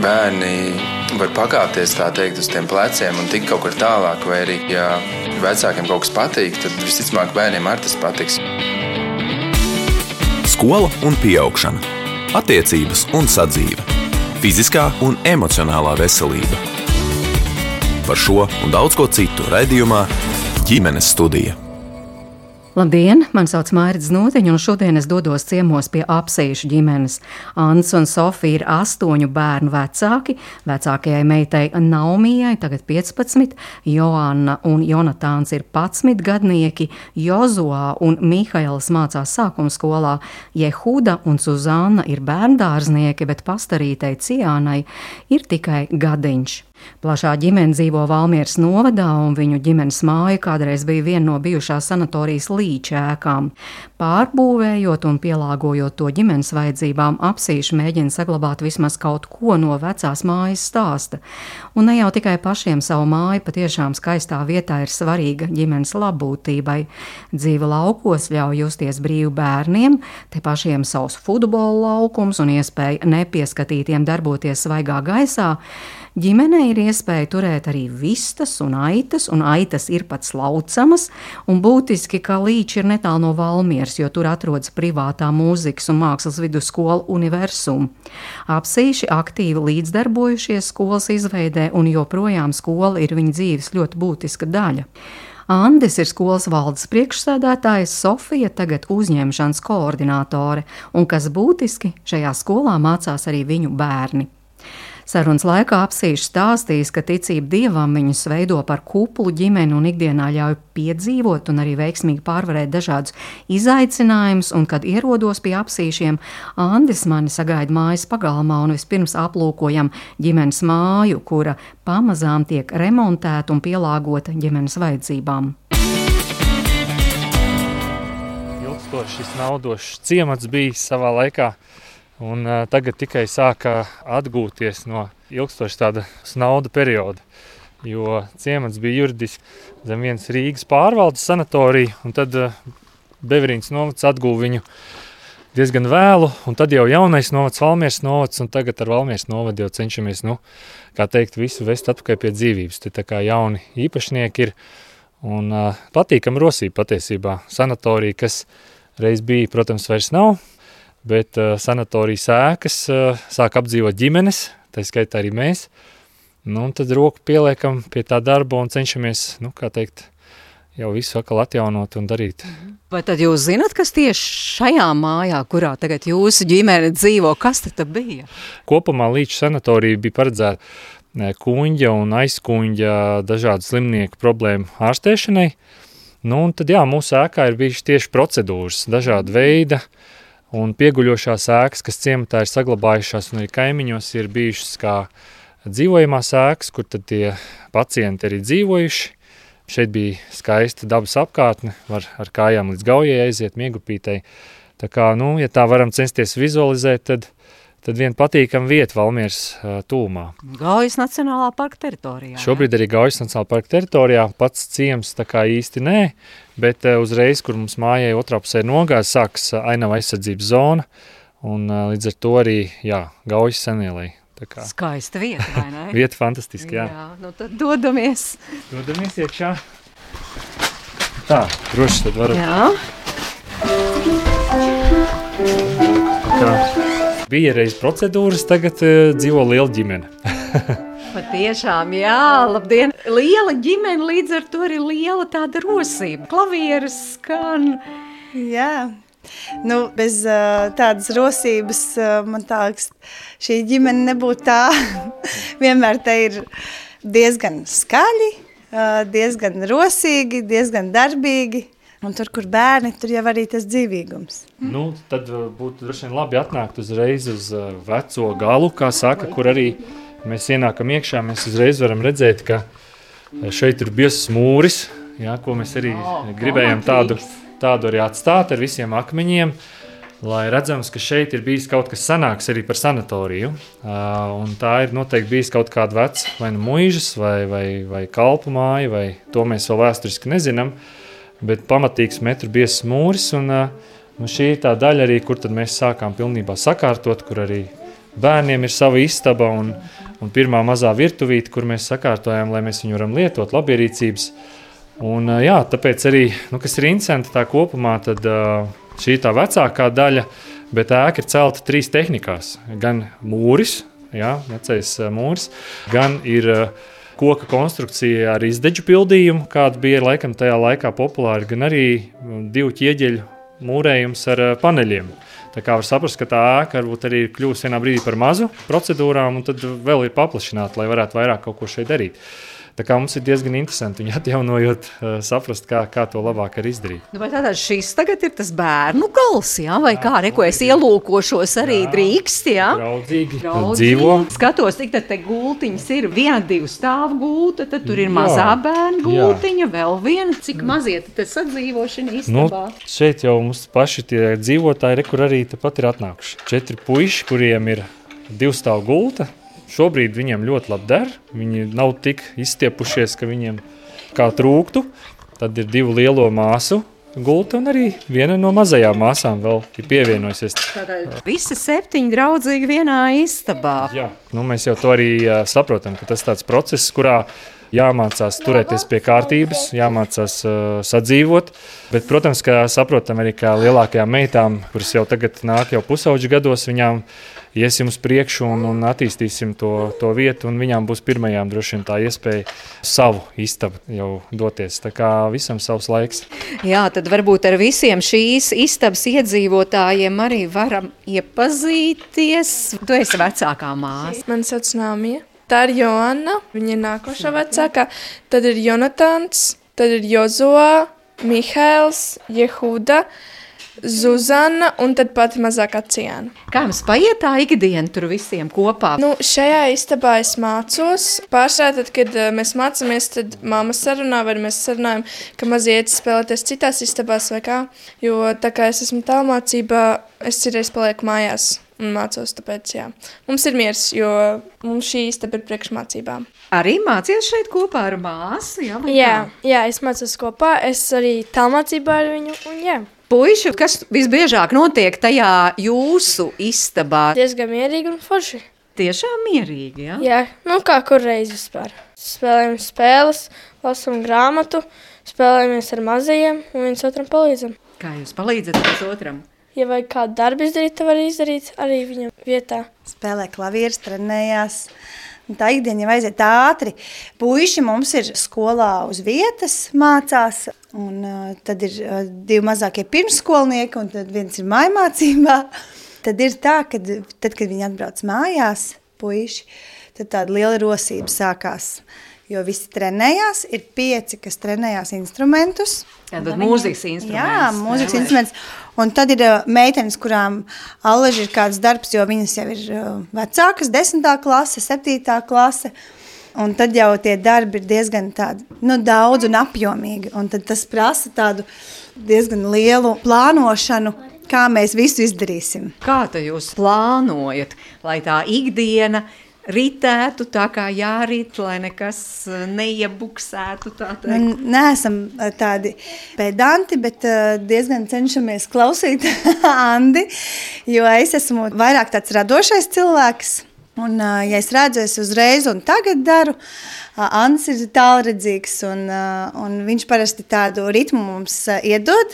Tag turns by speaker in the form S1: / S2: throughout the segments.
S1: bērni var pakāpties, tā teikt, uz tiem pleciem un tikt kaut kur tālāk, vai arī, ja vecākiem kaut kas patīk, tad visticamāk bērniem arī tas patiks.
S2: Skola un pieaugšana, attiecības un sadzīve, fiziskā un emocionālā veselība. Par šo un daudz ko citu raidījumā Ģimenes studija.
S3: Labdien, man sauc Mairita Znotiņa, un šodien es dodos ciemos pie Apsīšu ģimenes. Ants un Sofija ir 8 bērnu vecāki. Vecākajai meitai Naumijai tagad 15, Joanna un Jonatāns ir 11 gadnieki, Jozuā un Mihails mācās sākuma skolā, Jehuda un Suzanna ir bērndārznieki, bet pastarītei Ciānai ir tikai gadiņš. Plašā ģimene dzīvo Valmieras novadā, un viņu ģimenes māja kādreiz bija viena no bijušās sanatorijas Līča ēkām. Pārbūvējot un pielāgojot to ģimenes vajadzībām, Apsīši mēģina saglabāt vismaz kaut ko no vecās mājas stāsta. Un ne jau tikai pašiem savu māju, patiešām skaistā vietā ir svarīga ģimenes labbūtībai. Dzīve laukos ļauj justies brīvi bērniem, te pašiem savs futbola laukums un iespēja nepieskatītiem darboties svaigā gaisā. Ģimenei ir iespēja turēt arī vistas un aitas ir pat slaucamas, un būtiski, ka Līči ir netālu no Valmieras, jo tur atrodas privātā mūzikas un mākslas vidusskola Universum. Apsīši aktīvi līdzdarbojušies skolas izveidē, un joprojām skola ir viņa dzīves ļoti būtiska daļa. Andis ir skolas valdes priekšsēdētājs, Sofija tagad uzņemšanas koordinātore, un kas būtiski, šajā skolā mācās arī viņu bērni. Sarunas laikā Apsīši stāstīs, ka ticība Dievam viņus veido par kuplu ģimeni un ikdienā ļauj piedzīvot un arī veiksmīgi pārvarēt dažādus izaicinājumus, un kad ierodos pie Apsīšiem, Andis mani sagaida mājas pagalmā un vispirms aplūkojam ģimenes māju, kura pamazām tiek remontēta un pielāgota ģimenes vajadzībām.
S4: Ilgstošs naudošs ciemats bijis savā laikā. Un tagad tikai sāka atgūties no ilgstoša tāda nauda perioda, jo ciemats bija juridiski zem vienas Rīgas pārvaldes sanatorija, un tad Beverīnas novads atguva viņu diezgan vēlu, un tad jau jaunais novads, Valmieras novads, un tagad ar Valmieras novadu jau cenšamies, kā teikt, visu vest atpakaļ pie dzīvības. Te tā kā jauni īpašnieki ir, un patīkam rosība patiesībā. Sanatorija, kas reiz bija, protams, vairs nav, bet sanatorijas ēkas sāk apdzīvot ģimenes, tā skaitā arī mēs. Un tad roku pieliekam pie tā darba un cenšamies, kā teikt, jau visu atkal atjaunot un darīt.
S3: Vai tad jūs zināt, kas tieši šajā mājā, kurā tagad jūsu ģimene dzīvo, kas tad bija?
S4: Kopumā Līča sanatorija bija paredzēta kuņģa un aizkuņģa dažādu slimnieku problēmu ārstēšanai. Un tad mūsu ēkā ir bijuši tieši procedūras, dažāda veida, un pieguļošās ēkas, kas ciematā ir saglabājušās, un arī kaimiņos ir bijušas kā dzīvojamās ēkas, kur tad tie pacienti arī dzīvojuši. Šeit bija skaista dabas apkārtne, var ar kājām līdz Gaujai aiziet, Miegupītei. Tā kā, ja tā varam censties vizualizēt, tad viena patīkama vieta Valmieras tūmā.
S3: Gaujas Nacionālā parka teritorijā.
S4: Šobrīd arī Gaujas Nacionālā parka teritorijā, pats ciems tā kā īsti nē, bet uzreiz, kur mums mājai otrā pusē nogāz, sāks ainava aizsardzības zona, un līdz ar to arī, Gaujas senielai.
S3: Skaista vieta, vai ne?
S4: Vieta fantastiski, jā.
S3: Tad dodamies.
S4: Dodamies iekšā. Tā, droši tad varam.
S3: Jā.
S4: Tā. Bija reiz procedūras, tagad dzīvo liela ģimene.
S3: Patiešām, jā, labdien. Liela ģimene, līdz ar to arī liela tāda rosība. Klavieres skan.
S5: Jā. Bez tādas rosības, man liekas, šī ģimene nebūtu tā. Vienmēr te ir diezgan skaļi, diezgan rosīgi, diezgan darbīgi. Un tur, kur bērni, tur jau arī tas dzīvīgums.
S4: Tad būtu droši vien labi atnākt uzreiz uz veco galu, kā saka, kur arī mēs ienākam iekšā. Mēs uzreiz varam redzēt, ka šeit ir biezs mūris, ko mēs arī gribējām tādu arī atstāt ar visiem akmeņiem, lai redzams, ka šeit ir bijis kaut kas sanāks arī par sanatoriju. Un tā ir noteikti bijis kaut kāda veca, vai muižas, vai kalpu māja, vai to mēs vēl vēsturiski nezinām. Bet pamatīgs metru biezs mūris, un šī ir tā daļa arī, kur tad mēs sākām pilnībā sakārtot, kur arī bērniem ir sava istaba un pirmā mazā virtuvīte, kur mēs sakārtojām, lai mēs viņu varam lietot labierīcības. Un, jā, tāpēc arī, kas ir interesanti tā kopumā, tad šī tā vecākā daļa, bet ēka ir celta 3 tehnikās. Gan mūris, vecais mūris, gan ir koka konstrukcija ar izdeģu pildījumu, kāda bija laikam tajā laikā populāra, gan arī 2 ķieģeļu mūrējums ar paneļiem. Tā kā var saprast, ka tā ēka varbūt arī kļūst vienā brīdī par mazu procedūrām, un tad vēl ir paplašināta, lai varētu vairāk kaut ko šeit darīt. Tā kā mums ir diezgan interesanti viņu atjaunojot, saprast, kā to labāk arī izdarīt.
S3: Vai tātad šis tagad ir tas bērnu gals, vai kā, ko es ielūkošos arī drīkst,
S4: Draudzīgi dzīvo.
S3: Skatos, cik tad te gultiņas ir, 1-2 stāvu gulta, tad tur ir mazā bērnu gultiņa, vēl viena, cik mazie tad sadzīvošana istabā.
S4: Šeit jau mums paši tie dzīvotāji, kur arī tepat ir atnākuši. 4 puiši, kuriem ir 2 stāvu gulta. Šobrīd viņiem ļoti labi der, viņi nav tik izstiepušies, ka viņiem kā trūktu. Tad ir 2 lielo māsu gulta un arī viena no mazajām māsām vēl ir pievienojusies.
S3: Visi 7 draudzīgi vienā istabā.
S4: Jā, mēs jau to arī saprotam, ka tas tāds process, kurā jāmācās turēties pie kārtības, jāmācās sadzīvot, bet, protams, ka saprotam arī, kā lielākajām meitām, kuras jau tagad nāk jau pusauģu gados, viņām iesim uz priekšu un attīstīsim to vietu, un viņām būs pirmajām droši vien tā iespēja savu istabu jau doties. Tā kā visam savs laiks.
S3: Jā, tad varbūt ar visiem šīs istabas iedzīvotājiem arī varam iepazīties. Tu esi vecākā māsa.
S6: Mani sauc Nāmija. Tā ir Joanna, viņa ir nākošā vecākā. Tad ir Jonatans, tad ir Jozoa, Mihails, Jehuda, Zuzana un tad pati mazākā Ciāna.
S3: Kā jums paiet tā ikdiena tur visiem kopā?
S6: Šajā istabā es mācos. Pārsvarā tad, kad mēs mācāmies, tad mamma sarunā, vai mēs sarunājam, ka mazie iet spēlēties citās istabās vai kā. Jo tā kā es esmu tālmācībā, es citreiz palieku mājās un mācos, tāpēc jā. Mums ir miers, jo mums šī istaba ir priekšmācībām.
S3: Arī mācies šeit kopā ar māsu?
S7: Jā, es mācos kopā, es arī tālmācībā ar viņu un jā.
S3: Puiši, kas visbiežāk notiek tajā jūsu istabā?
S7: Diezgan mierīgi un forši.
S3: Tiešām mierīgi, jā?
S7: Jā, kā kur reizi vispār. Spēlējam spēles, lasam grāmatu, spēlējamies ar mazajiem un viens otram palīdzam.
S3: Kā jūs palīdzat viens otram?
S7: Ja vajag kādu darbu izdarīt, tad var izdarīt arī viņam vietā.
S5: Spēlē klavieres, trenējās. Tā ikdiena jau aiziet ātri. Puiši mums ir skolā uz vietas mācās, un tad ir 2 mazākie pirmsskolnieki, un tad viens ir mājmācībā. Tad ir tā, ka tad, kad viņi atbrauc mājās, puiši, tad tāda liela rosība sākās. Jo visi trenējās, ir 5, kas trenējās instrumentus.
S3: Tad mūzikas instruments.
S5: Jā, mūzikas instruments. Un tad ir meitenes, kurām allaži ir kāds darbs, jo viņas jau ir vecākas, 10. klase, 7. klase. Un tad jau tie darbi ir diezgan tādi, daudz un apjomīgi. Un tad tas prasa tādu diezgan lielu plānošanu, kā mēs visu izdarīsim.
S3: Kā tad jūs plānojat, lai tā ikdiena ritētu tā kā jārit, lai nekas neiebuksētu tā teikt?
S5: Neesam tādi pedanti, bet diezgan cenšamies klausīt Andi, jo es esmu vairāk tāds radošais cilvēks. Un, ja es redzu, es uzreiz un tagad daru, Andis ir tālredzīgs un viņš parasti tādu ritmu mums iedod,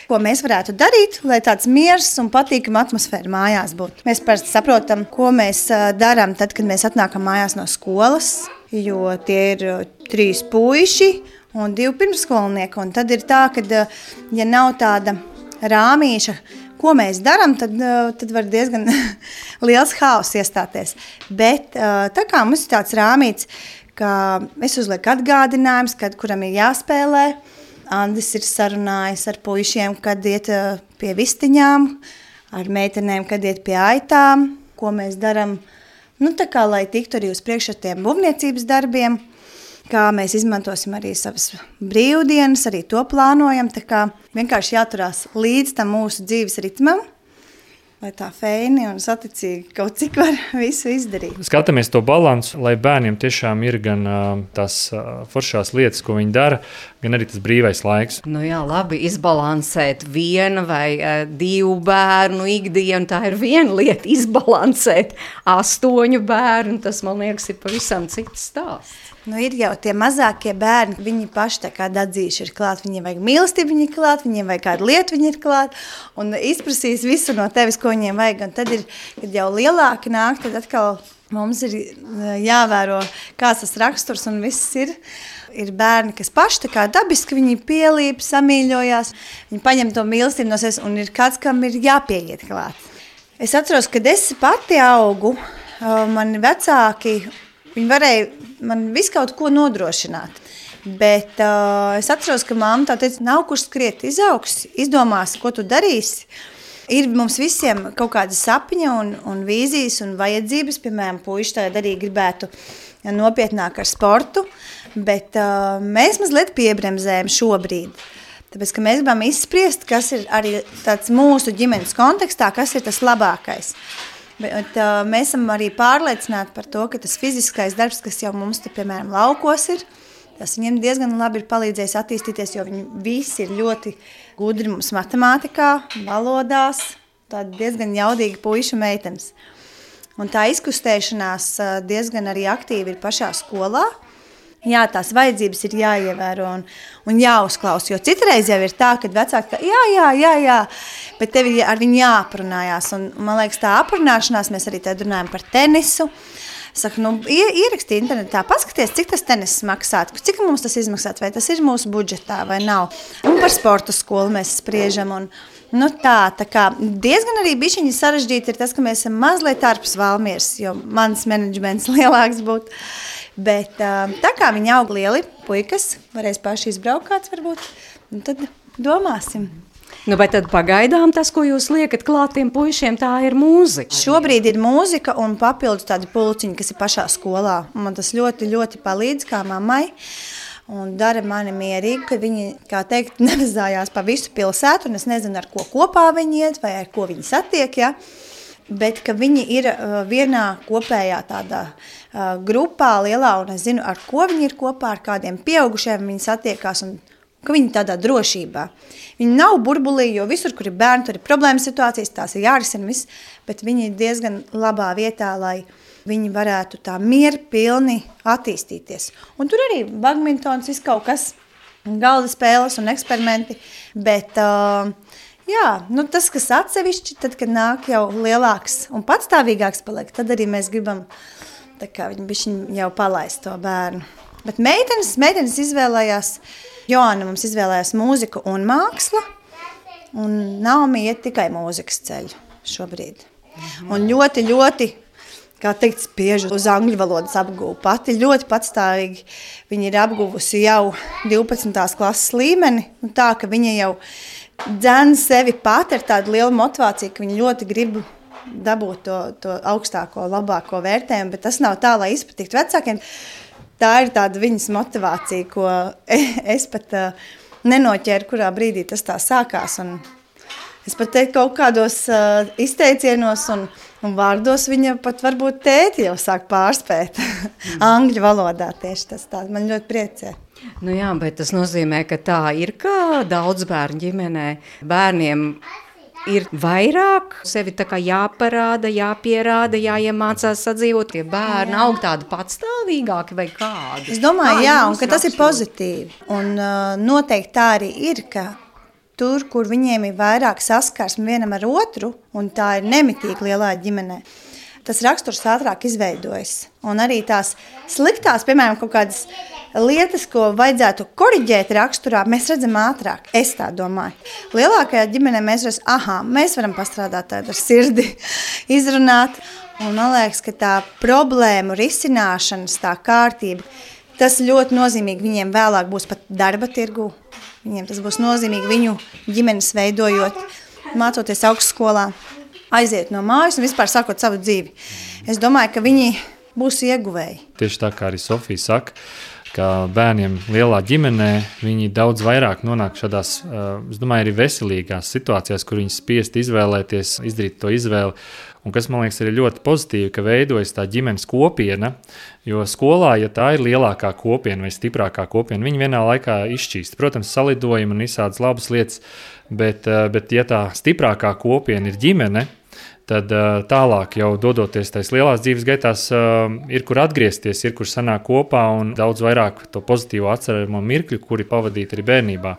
S5: ko mēs varētu darīt, lai tāds miers un patīkama atmosfēra mājās būtu. Mēs parasti saprotam, ko mēs darām tad, kad mēs atnākam mājās no skolas, jo tie ir 3 puiši un 2 pirmsskolnieki. Un tad ir tā, ka ja nav tāda rāmīša, ko mēs darām, tad var diezgan liels haoss iestāties. Bet tā kā mums ir tāds rāmīts, ka es uzlieku atgādinājums, kuram ir jāspēlē. Andis ir sarunājis ar puišiem, kad iet pie vistiņām, ar meitenēm, kad iet pie aitām, ko mēs darām. Tā kā, lai tiktu arī uz priekšu ar tiem būvniecības darbiem, kā mēs izmantosim arī savas brīvdienas, arī to plānojam. Tā kā vienkārši jāturās līdz tam mūsu dzīves ritmam, lai tā feini un saticīgi kaut cik var visu izdarīt.
S4: Skatāmies to balansu, lai bērniem tiešām ir gan tās foršās lietas, ko viņi dara, gan arī tas brīvais laiks.
S3: Nu jā, labi, izbalansēt viena vai 2 bērnu ikdienu, tā ir viena lieta, izbalansēt 8 bērnu, tas, man liekas, ir pavisam cits stāsts.
S5: Nu, ir jau tie mazākie bērni, viņi paši tā kā dadzīši ir klāt, viņiem vajag mīlestību, viņi ir klāt, viņiem vajag kādu lietu, viņi ir klāt, un izprasīs visu no tevis, ko viņiem vajag, un tad ir, kad jau lielāki nāk, tad atkal mums ir jāvēro, kāds tas raksturs, un viss ir bērni, kas paši tā kā dabiski, viņi pielīp, samīļojās, viņi paņem to mīlestību no sevis, un ir kāds, kam ir jāpieiet klāt. Es atceros, kad es pati augu, mani vecāki, viņi varēja man visu kaut ko nodrošināt, bet es atceros, ka mamma tā teica, nav kur skriet, izaugs, izdomās, ko tu darīsi. Ir mums visiem kaut kāda sapņa un vīzijas un vajadzības, piemēram, puiši tagad arī gribētu nopietnāk ar sportu, bet mēs mazliet piebremzējam šobrīd. Tāpēc, ka mēs gribam izspriest, kas ir arī tāds mūsu ģimenes kontekstā, kas ir tas labākais. Bet mēs esam arī pārliecināti par to, ka tas fiziskais darbs, kas jau mums te, piemēram, laukos ir, tas viņiem diezgan labi ir palīdzējis attīstīties, jo viņi visi ir ļoti gudri mums matemātikā, valodās, tādi diezgan jaudīgi puiši meitenes. Un tā izkustēšanās diezgan arī aktīvi ir pašā skolā. Jā, tās vajadzības ir jāievēro un jāuzklaus, jo citreiz jau ir tā, kad vecāki jā, bet tev ir ar viņu jāaprunājās. Un man liekas, tā aprunāšanās, mēs arī tad runājam par tenisu. Saku, ieraksti internetā, paskaties, cik tas tenis maksāt, cik mums tas izmaksāt, vai tas ir mūsu budžetā vai nav. Un par sporta skolu mēs spriežam un tā kā diezgan arī bišķiņi sarežģīti ir tas, ka mēs esam mazliet ārpus Valmieras, jo mans menedžments lielāks būtu. Bet tā kā viņi aug lieli puikas, varēs paši izbraukt kāds varbūt, un tad domāsim.
S3: Nu, bet tad pagaidām tas, ko jūs liekat klāt tiem puišiem, tā ir mūzika.
S5: Šobrīd ir mūzika un papildus tādi pulciņi, kas ir pašā skolā. Man tas ļoti, ļoti palīdz kā mammai un dara mani mierīgi, ka viņi, kā teikt, nevezājās pa visu pilsētu, un es nezinu, ar ko kopā viņi iet vai ar ko viņi satiek, ja? Bet ka viņi ir vienā kopējā tādā grupā lielā, un es zinu, ar ko viņi ir kopā, ar kādiem pieaugušiem viņi satiekās, un ka viņi tādā drošībā. Viņi nav burbulī, jo visur, kur ir bērni, tur ir problēmas situācijas, tās ir jārisina viss, bet viņi ir diezgan labā vietā, lai viņi varētu tā mierpilni attīstīties. Un tur arī badmintons, viss kaut kas, galda spēles un eksperimenti, bet jā, tas, kas atsevišķi, tad, kad nāk jau lielāks un patstāvīgāks paliek, tad arī mēs gribam, tā kā viņi jau palaist to bērnu. Bet meitenes izvēlējās, Joana mums izvēlējās mūziku un māksla, un Naomi iet tikai mūzikas ceļu šobrīd. Un ļoti, ļoti, kā teikt, spiež uz angļu valodas apgūvu. Pati ļoti patstāvīgi viņa ir apguvusi jau 12. klases līmeni, un tā, ka viņa jau dzen sevi pati ar tādu lielu motivāciju, ka viņa ļoti grib dabūt to augstāko, labāko vērtējumu, bet tas nav tā, lai izpatiktu vecākiem. Tā ir tāda viņas motivācija, ko es pat nenoķēru, kurā brīdī tas tā sākās. Un es pat teiktu kaut kādos izteicienos un vārdos viņa pat varbūt tēti jau sāk pārspēt angļu valodā. Tieši tas tā man ļoti priecē.
S3: Nu jā, bet tas nozīmē, ka tā ir kā daudz bērnu ģimenē. Bērniem ir vairāk sevi tā kā jāparāda, jāpierāda, jāiemācās sadzīvot. Tie bērni aug tādi patstāvīgāki vai kādi?
S5: Es domāju, jā, un ka tas ir pozitīvi. Un noteikti tā arī ir, ka tur, kur viņiem ir vairāk saskarsme vienam ar otru, un tā ir nemitīgi lielā ģimenē, tas raksturs ātrāk izveidojas. Un arī tās sliktās, piemēram, kaut kādas lietas, ko vajadzētu koriģēt raksturā, mēs redzam ātrāk. Es tā domāju. Lielākajā ģimenē mēs varam pastrādāt tādu ar sirdi, izrunāt. Un man liekas, ka tā problēmu risināšanas, tā kārtība, tas ļoti nozīmīgi viņiem vēlāk būs pat darba tirgu. Viņiem tas būs nozīmīgi viņu ģimenes veidojot, mācoties augstskolā, aiziet no mājas un vispār sākot savu dzīvi. Es domāju, ka viņi būs ieguvēji.
S4: Tieši tā kā arī Sofija saka, ka bērniem lielā ģimenē viņi daudz vairāk nonāk šādās, es domāju, arī veselīgās situācijās, kur viņi spiest izvēlēties, izdarīt to izvēli. Un kas, man liekas, ir ļoti pozitīvi, ka veidojas tā ģimenes kopiena, jo skolā, ja tā ir lielākā kopiena vai stiprākā kopiena, viņi vienā laikā izšķīst. Protams, salidojumi un visādas labas lietas, bet ja tā stiprākā kopiena ir ģimene, tad tālāk jau dodoties tais lielās dzīves gaitās ir kur atgriezties, ir kur sanāk kopā un daudz vairāk to pozitīvo atceramo mirkļu, kuri pavadīt arī bērnībā.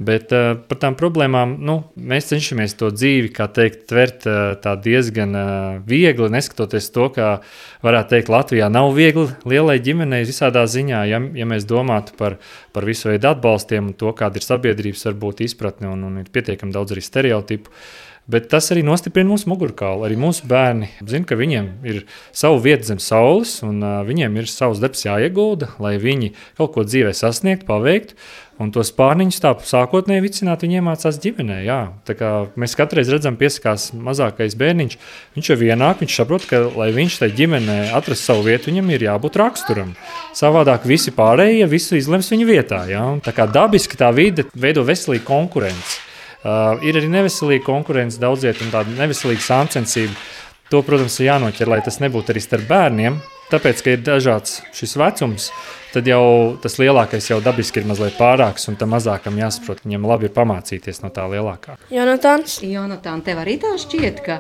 S4: Bet par tām problēmām, mēs cenšamies to dzīvi, kā teikt, tvert tā diezgan viegli, neskatoties to, ka varētu teikt, Latvijā nav viegli lielai ģimenei visādā ziņā, ja mēs domātu par visu veidu atbalstiem un to, kāda ir sabiedrības varbūt izpratne un ir pietiekami daudz arī stereotipu. Bet tas arī nostiprina mūsu mugurkaulu. Arī mūsu bērni zina, ka viņiem ir savu vietu zem saules un viņiem ir savs darbs jāiegulda, lai viņi kaut ko dzīvē sasniegtu, paveiktu. Un tos pārniņus tā sākotnēji vicināt viņi iemācās ģimenē. Jā. Tā kā mēs katreiz redzam, piesakās mazākais bērniņš, viņš jau vienāk, viņš saprot, ka, lai viņš tai ģimenē atrast savu vietu, viņam ir jābūt raksturam. Savādāk visi pārējie visu izlems viņa vietā. Jā. Un tā kā dabiski tā vide veido veselīgu konkurenci. Ir arī neveselīga konkurence daudziet un tāda neveselīga sāncensība. To, protams, ir jānoķer, lai tas nebūtu arī starp bērniem. Tāpēc, ka ir dažāds šis vecums, tad jau tas lielākais jau dabiski ir mazliet pārāks, un tam mazākam jāsaprot, viņam labi ir pamācīties no tā lielākā.
S3: Jonatān, tev arī tā šķiet, ka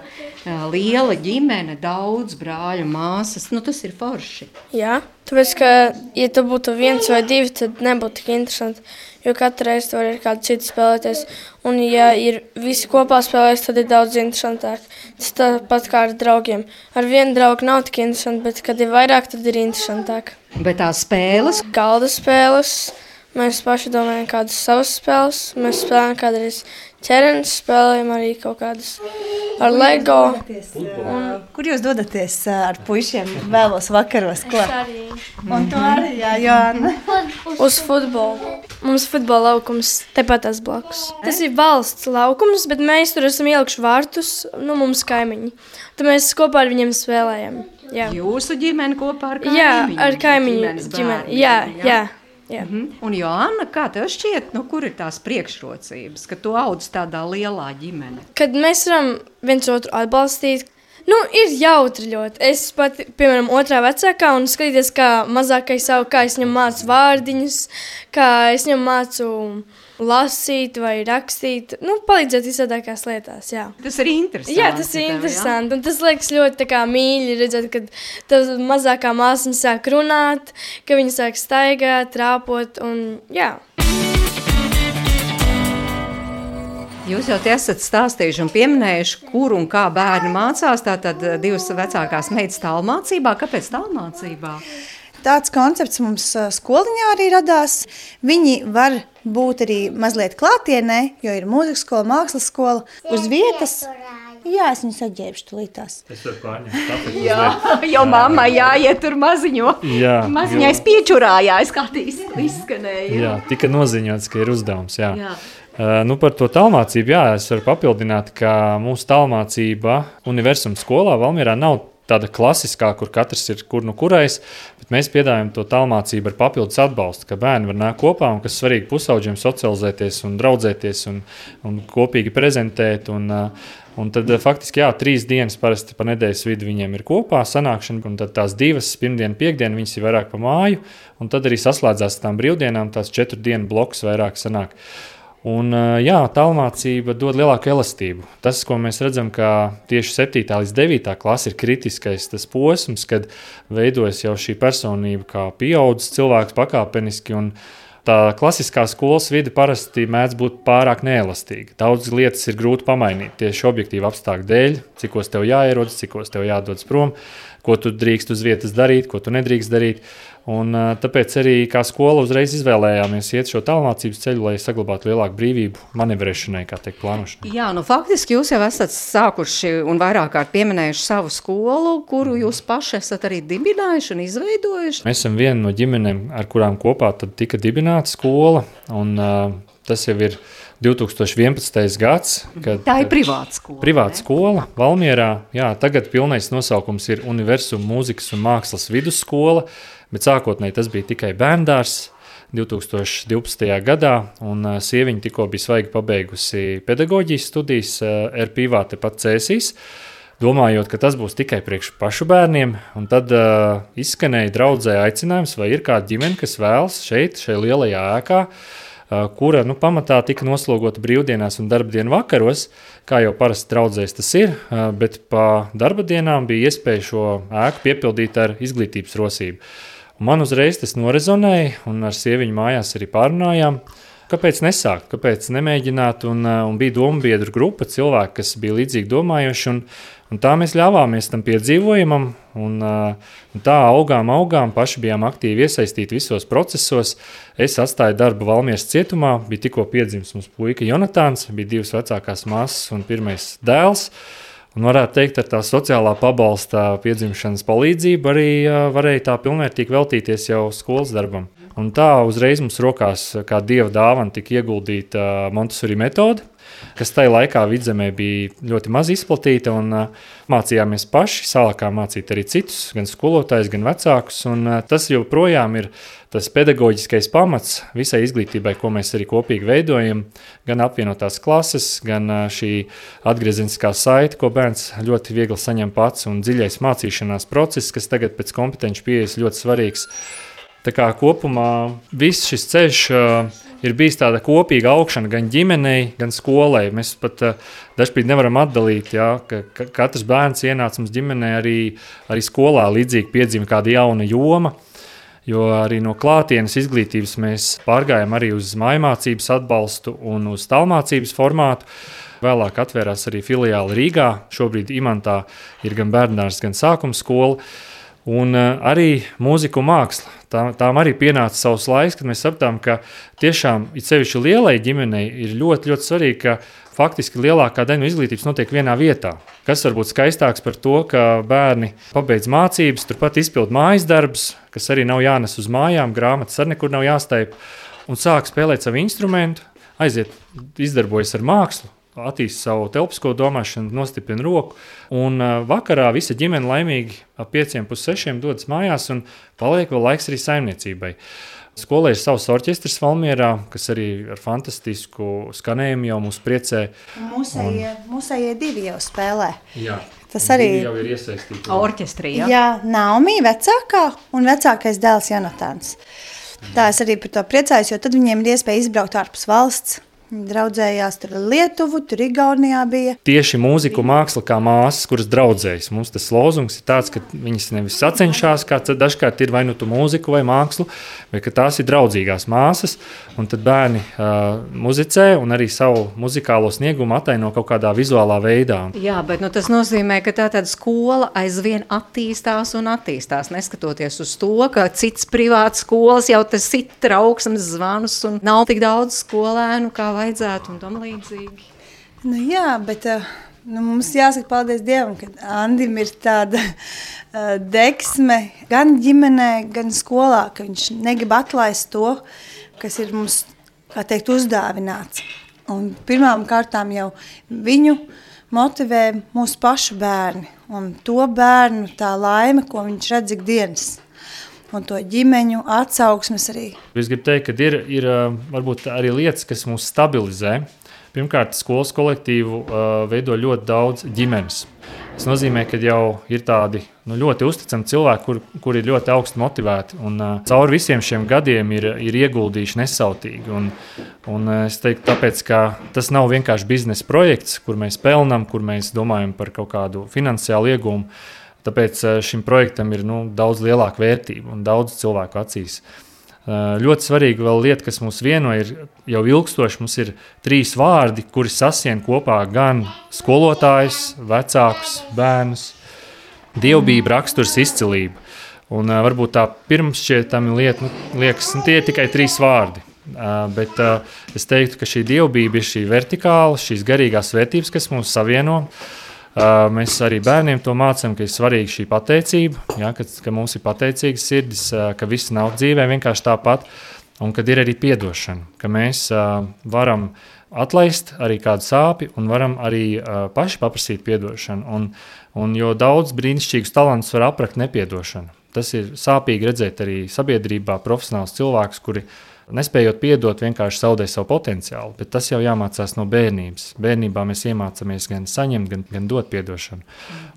S3: liela ģimene, daudz brāļu, māsas, tas ir forši.
S7: Jā, tāpēc, ka, ja tu būtu 1 vai 2, tad nebūtu tik interesanti, jo katru reizi tu vari ar kādu citu spēlēties. Un, ja ir visi kopā spēlēs, tad ir daudz interesantāk. Tas tāpat kā ar draugiem. Ar vienu draugu nav tik interesanti, bet, kad ir vairāk, tad ir interesantāk.
S3: Bet tās spēles?
S7: Galda spēles. Mēs paši domājam kādas savas spēles. Mēs spēlējam kādreiz ķerenes, spēlējam arī kaut kādas ar Lego.
S5: Kur jūs dodaties ar puišiem vēlos vakaros? Ko?
S7: Es arī.
S5: Un tu arī, jā, Joanna?
S7: Uz futbolu. Mums futbola laukums tepat tās blakus. Tas ir valsts laukums, bet mēs tur esam ielikuši vārtus, mums kaimiņi. Tad mēs kopā ar viņiem spēlējam. Jā.
S3: Jūsu ģimene kopā ar kaimiņu?
S7: Jā, ar kaimiņu ģimeni. Jā.
S3: Un Joanna, kā tev šķiet, kur ir tās priekšrocības, ka tu audz tādā lielā ģimene?
S7: Kad mēs varam viens otru atbalstīt, ir jautri ļoti. Es pat, piemēram, 2. vecākā un skatīties, kā mazākais savu, kā es viņam mācu vārdiņus, kā es viņam mācu lasīt vai rakstīt, palīdzēt visādākās lietās, jā.
S3: Tas ir interesanti.
S7: Jā, tas ir interesanti, un tas liekas ļoti tā kā mīļi redzēt, kad tā mazākā māsiņa sāk runāt, ka viņa sāk staigāt, trāpot, un jā.
S3: Jūs jau te esat stāstījuši un pieminējuši, kur un kā bērni mācās, tātad 2 vecākās meitas tālmācībā. Kāpēc tālmācībā?
S5: Tāds koncepts mums skoliņā arī radās. Viņi var būt arī mazliet klātienē, jo ir mūzikas skola, mākslas skola uz vietas. Jā, es viņus atģērbšu tulītās.
S4: Es varu pārņemt.
S3: Jā, jo mammai jāiet tur maziņo.
S4: Jā.
S3: Maziņais piečurājā, es kā izskanēju.
S4: Jā, tika noziņots, ka ir uzdevums, jā. Par to tālmācību, jā, es varu papildināt, ka mūsu tālmācība universuma skolā Valmierā nav tāda klasiskā, kur katrs ir kur kurais, bet mēs piedāvājam to tālmācību ar papildus atbalstu, ka bērni var nākt kopā un kas svarīgi pusauģiem socializēties un draudzēties un kopīgi prezentēt un tad faktiski, 3 dienas parasti pa nedēļas vidu viņiem ir kopā sanākšana, un tad tās 2, pirmdiena, piekdiena, viņas ir vairāk pa māju, un tad arī saslēdzās tām brīvdienām, tās 4 dienu bloks vairāk sanāk. Un, tālmācība dod lielāku elastību. Tas, ko mēs redzam, ka tieši 7. līdz 9. klase ir kritiskais tas posms, kad veidojas jau šī personība kā pieaudzis cilvēks pakāpeniski, un tā klasiskā skolas vide parasti mēdz būt pārāk neelastīga. Daudz lietas ir grūti pamainīt tieši objektīvu apstākļu dēļ, cikos tev jāierodas, cikos tev jādodas prom, ko tu drīkst uz vietas darīt, ko tu nedrīkst darīt. Un tāpēc arī kā skola uzreiz izvēlējāmies iet šo tālmācības ceļu, lai saglabātu lielāku brīvību manevrēšanai, kā teikt, plānošanai.
S3: Jā, faktiski jūs jau esat sākuši un vairāk kārt pieminējuši savu skolu, kuru jūs paši esat arī dibinājuši un izveidojuši.
S4: Mēs esam viena no ģimenēm, ar kurām kopā tad tika dibināta skola, un tas jau ir 2011. gads.
S3: Tā ir privāta skola.
S4: Privāta skola Valmierā. Jā, tagad pilnais nosaukums ir Universum mūzikas un mākslas vidusskola, bet sākotnēji tas bija tikai bērndārs 2012. gadā, un sieviņa tikko bija svaigi pabeigusi pedagoģijas studijas RPIVā tepat Cēsīs, domājot, ka tas būs tikai priekš pašu bērniem, un tad izskanēja draudzē aicinājums, vai ir kāda ģimene, kas vēlas šajā lielajā ēkā, kura pamatā tika noslogota brīvdienās un darbdienu vakaros, kā jau parasti draudzēs tas ir, bet pa darba dienām bija iespēja šo ēku piepildīt ar izglītības rosību. Un man uzreiz tas norezonēja, un ar sieviņu mājās arī pārunājām, kāpēc nesākt, kāpēc nemēģināt, un bija dombiedru grupa cilvēki, kas bija līdzīgi domājuši, un tā mēs ļāvāmies tam piedzīvojumam, un tā augām, paši bijām aktīvi iesaistīti visos procesos. Es atstāju darbu Valmieras cietumā, bija tikko piedzimis mums puika Jonatāns, bija 2 vecākās māsas un 1. dēls, un varētu teikt, ar tā sociālā pabalsta piedzimšanas palīdzību arī varēja tā pilnvērtīgi veltīties jau skolas darbam. Un tā uzreiz mums rokās kā dieva dāvana tika ieguldīta Montessori metode, kas tajā laikā Vidzemē bija ļoti maz izplatīta, un mācījāmies paši, sākām mācīt arī citus, gan skolotājus, gan vecākus, un tas joprojām ir tas pedagoģiskais pamats visai izglītībai, ko mēs arī kopīgi veidojam, gan apvienotās klases, gan šī atgriezeniskā saite, ko bērns ļoti viegli saņem pats, un dziļais mācīšanās process, kas tagad pēc kompetenci pieejas ļoti svarīgs. Tā kā kopumā viss šis ceļš ir bijis tāda kopīga augšana gan ģimenei, gan skolai. Mēs pat dažkārt nevaram atdalīt, ka katrs bērns ienāca mums ģimenē arī skolā līdzīgi piedzima kāda jauna joma, jo arī no klātienes izglītības mēs pārgājām arī uz mājmācības atbalstu un uz tālmācības formātu. Vēlāk atvērās arī filiāli Rīgā, šobrīd Imantā ir gan bērndārs, gan sākuma skola. Un arī mūzika un māksla. Tām arī pienāca savs laiks, kad mēs sapratām, ka tiešām it sevišķi lielai ģimenei ir ļoti, ļoti svarīgi, ka faktiski lielākā daļa no izglītības notiek vienā vietā. Kas var būt skaistāks par to, ka bērni pabeidz mācības, turpat izpild mājas darbus, kas arī nav jānes uz mājām, grāmatas arī nekur nav jāstaip, un sāk spēlēt savu instrumentu, aiziet, izdarbojas ar mākslu, attīst savu telpisko domāšanu, nostiprina roku, un vakarā visa ģimene laimīgi ap 5:30 dodas mājās un paliek vēl laiks arī saimniecībai. Skolē ir savs orķestris Valmierā, kas arī ar fantastisku skanējumu jau mūs priecē.
S5: Mūsējie 2 jau spēlē.
S4: Jā,
S5: tas arī
S4: jau ir iesaistīti.
S3: Orķestrī, jā?
S5: Jā, Naumī vecākā un vecākais dēls Jonatāns. Tā es arī par to priecājos, jo tad viņiem ir iespēja izbraukt ārpus valsts. Viņi draudzējās tur Lietuvu, tur Igaunijā bija.
S4: Tieši mūzika un māksla kā māsas, kuras draudzējas. Mums tas lozungs ir tāds, ka viņas nevis sacenšās, kā dažkārt ir vai nu tu mūziku vai mākslu, bet ka tās ir draudzīgās māsas, un tad bērni muzicē un arī savu muzikālo sniegumu ataino kaut kādā vizuālā veidā.
S3: Jā, bet tas nozīmē, ka tā tāda skola aizvien attīstās un attīstās, neskatoties uz to, ka cits privāts skolas jau tas sit trauksmes zvanus un nav tik daudz skolēnu, kā vajadzētu un tam līdzīgi.
S5: Jā, bet mums jāsaka paldies Dievam, ka Andim ir tāda deksme gan ģimenē, gan skolā, ka viņš negrib atlaist to, kas ir mums, kā teikt, uzdāvināts. Un pirmām kārtām jau viņu motivē mūsu pašu bērni un to bērnu tā laime, ko viņš redz ikdienas. Un to ģimeņu atsauksmes arī.
S4: Es gribu teikt, ka ir varbūt arī lietas, kas mūs stabilizē. Pirmkārt, skolas kolektīvu veido ļoti daudz ģimenes. Tas nozīmē, ka jau ir tādi ļoti uzticami cilvēki, kuri ir ļoti augsti motivēti. Un cauri visiem šiem gadiem ir ieguldījuši nesautīgi. Un es teiktu, tāpēc, ka tas nav vienkārši biznesa projekts, kur mēs pelnām, kur mēs domājam par kaut kādu finansiālu iegūmu. Tāpēc šim projektam ir daudz lielāka vērtība un daudz cilvēku acīs. Ļoti svarīga vēl lieta, kas mūs vieno, ir jau ilgstoši. Mums ir 3 vārdi, kuri sasien kopā gan skolotājus, vecākus, bērnus. Dievbijība, raksturs, izcilība. Un varbūt tā pirmšķietami lieta, liekas, tie ir tikai 3 vārdi. Bet es teiktu, ka šī dievbijība ir šī vertikāla, šīs garīgās vērtības, kas mūs savieno. Mēs arī bērniem to mācām, ka ir svarīga šī pateicība, ka mums ir pateicīgas sirdis, ka viss nav dzīvē vienkārši tāpat, un kad ir arī piedošana, ka mēs varam atlaist arī kādu sāpi un varam arī paši paprasīt piedošanu. Un jo daudz brīnišķīgus talantus var aprakt nepiedošanu. Tas ir sāpīgi redzēt arī sabiedrībā profesionāls cilvēkus, kuri nespējot piedot, vienkārši zaudē savu potenciālu, bet tas jau jāmācās no bērnības. Bērnībā mēs iemācāmies gan saņemt, gan dot piedošanu.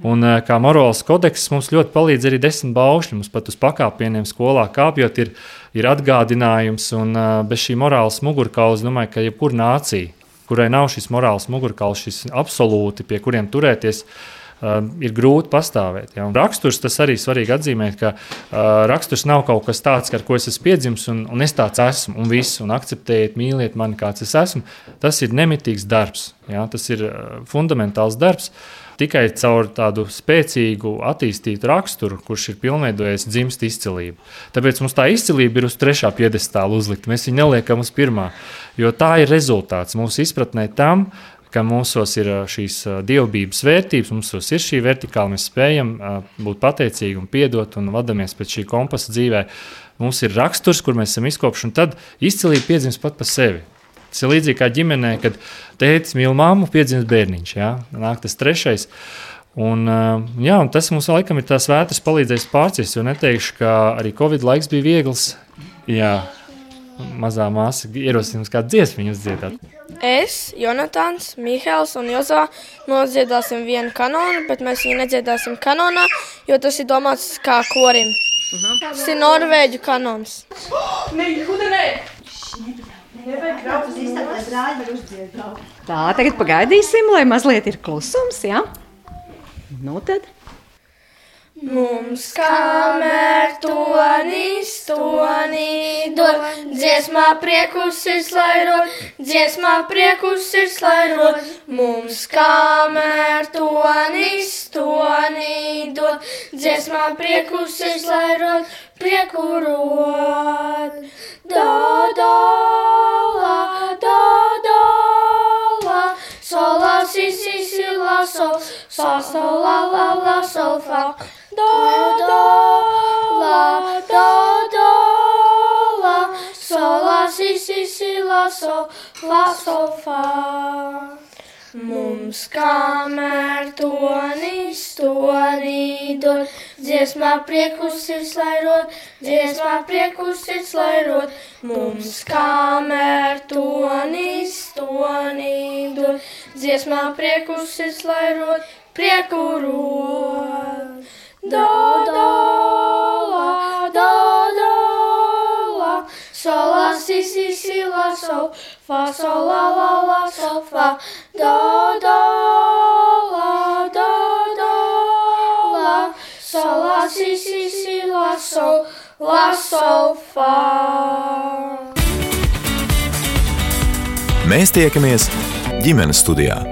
S4: Un kā morāls kodeks mums ļoti palīdz arī 10 baušļi. Mums pat uz pakāpieniem skolā kāpjot ir atgādinājums, un bez šī morāls mugurkauls, domāju, ka jebkura nācija, kurai nav šis morāls mugurkauls, šis absolūti, pie kuriem turēties, ir grūti pastāvēt. Ja? Un raksturs, tas arī svarīgi atzīmēt, ka raksturs nav kaut kas tāds, ar ko es esmu piedzimis, un es tāds esmu, un viss, un akceptējiet, mīliet mani, kāds es esmu. Tas ir nemitīgs darbs, ja? Tas ir fundamentāls darbs. Tikai caur tādu spēcīgu, attīstītu raksturu, kurš ir pilnveidojies, dzimst izcilība. Tāpēc mums tā izcilība ir uz 3. piedestāla uzlikta. Mēs viņu neliekam uz 1. Jo tā ir rezultāts mūsu izpratnē tam, ka mūsos ir šīs dievbības vērtības, mūsos ir šī vertikāla, mēs spējam būt pateicīgi un piedot un vadamies pēc šī kompasa dzīvē. Mums ir raksturs, kur mēs esam izkopši, un tad izcilība piedzimst pat pa sevi. Tas ir līdzīgi kā ģimenē, kad tētis mīl mammu, piedzimst bērniņš, ja? Nāk tas 3. Un tas mums laikam ir tās vētras palīdzējis pārciest, jo neteikšu, ka arī Covid laiks bija viegls. Jā, mazā māsa ierosinās kādu dziesmiņu uzdziedāt.
S7: Es, Jonatāns, Mihēls un Jozā nodziedāsim vienu kanonu, bet mēs viņu nedziedāsim kanonā, jo tas ir domāts kā korim. Tas ir norvēģu kanons.
S3: Tā, tagad pagaidīsim, lai mazliet ir klusums, ja? Nu tad.
S7: Mums kamēr tonis dod, dziesmā priekus ir slairot, dziesmā priekus ir slairot. Mums kamēr tonis dod, dziesmā priekus ir slairot, prieku rod. Do, do, la, sol, la, si, la, sol, la, sol, fa. Do, la, sol, la, si, la, sol, fa. Mums kamēr tonis dod, dziesmā priekus ir slairot, dziesmā priekus ir slairot. Mums kamēr tonis dod, dziesmā priekus ir slairot, prieku rod. Do, la, sol, la, si, la, sol, fa, sol, la, sol, fa. Do, la, sol, la, si, la, sol, fa.
S2: Mēs tiekamies ģimenes studijā.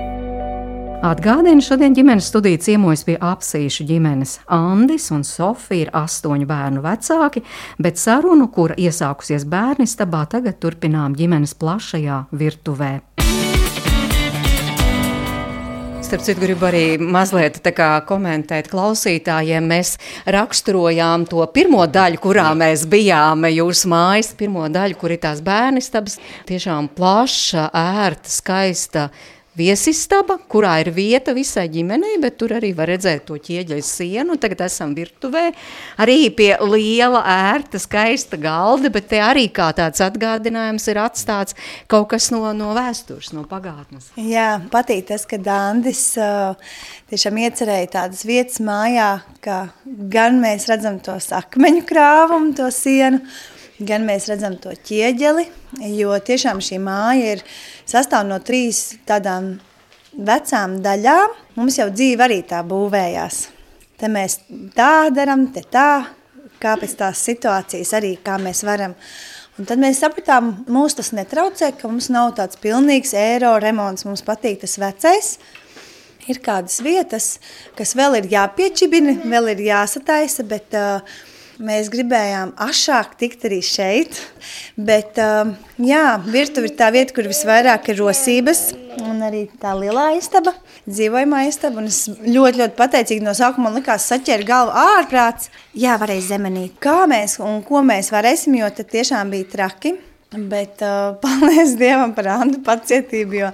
S3: Atgādinu, šodien ģimenes studija ciemojas pie Apsīšu ģimenes. Andis un Sofija ir 8 bērnu vecāki, bet sarunu, kura iesākusies bērnistabā, tagad turpinām ģimenes plašajā virtuvē. Starp citu, gribu arī mazliet komentēt klausītājiem. Mēs raksturojām to pirmo daļu, kurā mēs bijām, jūsu mājas pirmo daļu, kur ir tās bērnistabas. Tiešām plaša, ērta, skaista viesistaba, kurā ir vieta visai ģimenei, bet tur arī var redzēt to ķieģeļu sienu. Tagad esam virtuvē, arī pie liela, ērta, skaista galda, bet te arī kā tāds atgādinājums ir atstāts kaut kas no vēstures, no pagātnes.
S5: Jā, patīk tas, ka Andis tiešām iecerēja tādas vietas mājā, ka gan mēs redzam to akmeņu krāvumu, to sienu, gan mēs redzam to ķieģeli, jo tiešām šī māja sastāv no 3 tādām vecām daļām. Mums jau dzīve arī tā būvējās. Te mēs tā daram, te tā, kā pēc tās situācijas arī, kā mēs varam. Un tad mēs sapratām, mūs tas netraucē, ka mums nav tāds pilnīgs eiro remonts, mums patīk tas vecais. Ir kādas vietas, kas vēl ir jāpiečibina, vēl ir jāsataisa, bet mēs gribējām ašāk tikt arī šeit, bet virtuve ir tā vieta, kur visvairāk ir rosības, un arī tā lielā istaba, dzīvojamā istaba, un es ļoti pateicīgi no sākuma man likās saķēra galvu ārprāts. Jā, varēja zemenīt, kā mēs un ko mēs varēsim, jo tad tiešām bija traki. Bet paldies Dievam par Andu pacietību, jo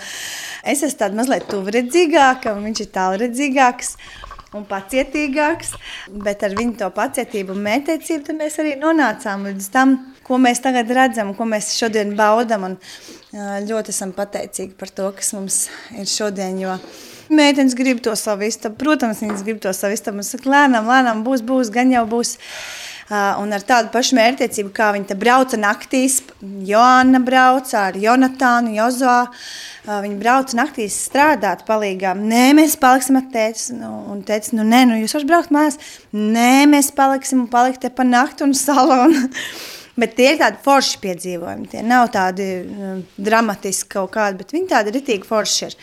S5: es esmu tāda mazliet tuvredzīgāka, un viņš ir tālredzīgāks un pacietīgāks. Bet ar viņu to pacietību un mērķtiecību mēs arī nonācām līdz tam, ko mēs tagad redzam, ko mēs šodien baudam. Un ļoti esam pateicīgi par to, kas mums ir šodien, jo meitenes grib to savu istabu. Protams, viņas grib to savu istabu. Un saka, lēnām, būs, gan jau būs. Un ar tādu pašu mērķtiecību, kā viņi te brauca naktīs, Joanna brauca ar Jonatānu, Jozoā, viņi brauca naktīs strādāt palīgā. Nē, mēs paliksim ar tētis, un tētis, nē, jūs varat braukt mājās. Nē, mēs paliksim un palikt te pa naktu un salonu. Bet tie ir tādi forši piedzīvojumi, tie nav tādi dramatiski kaut kādi, bet viņi tādi ritīgi forši ir.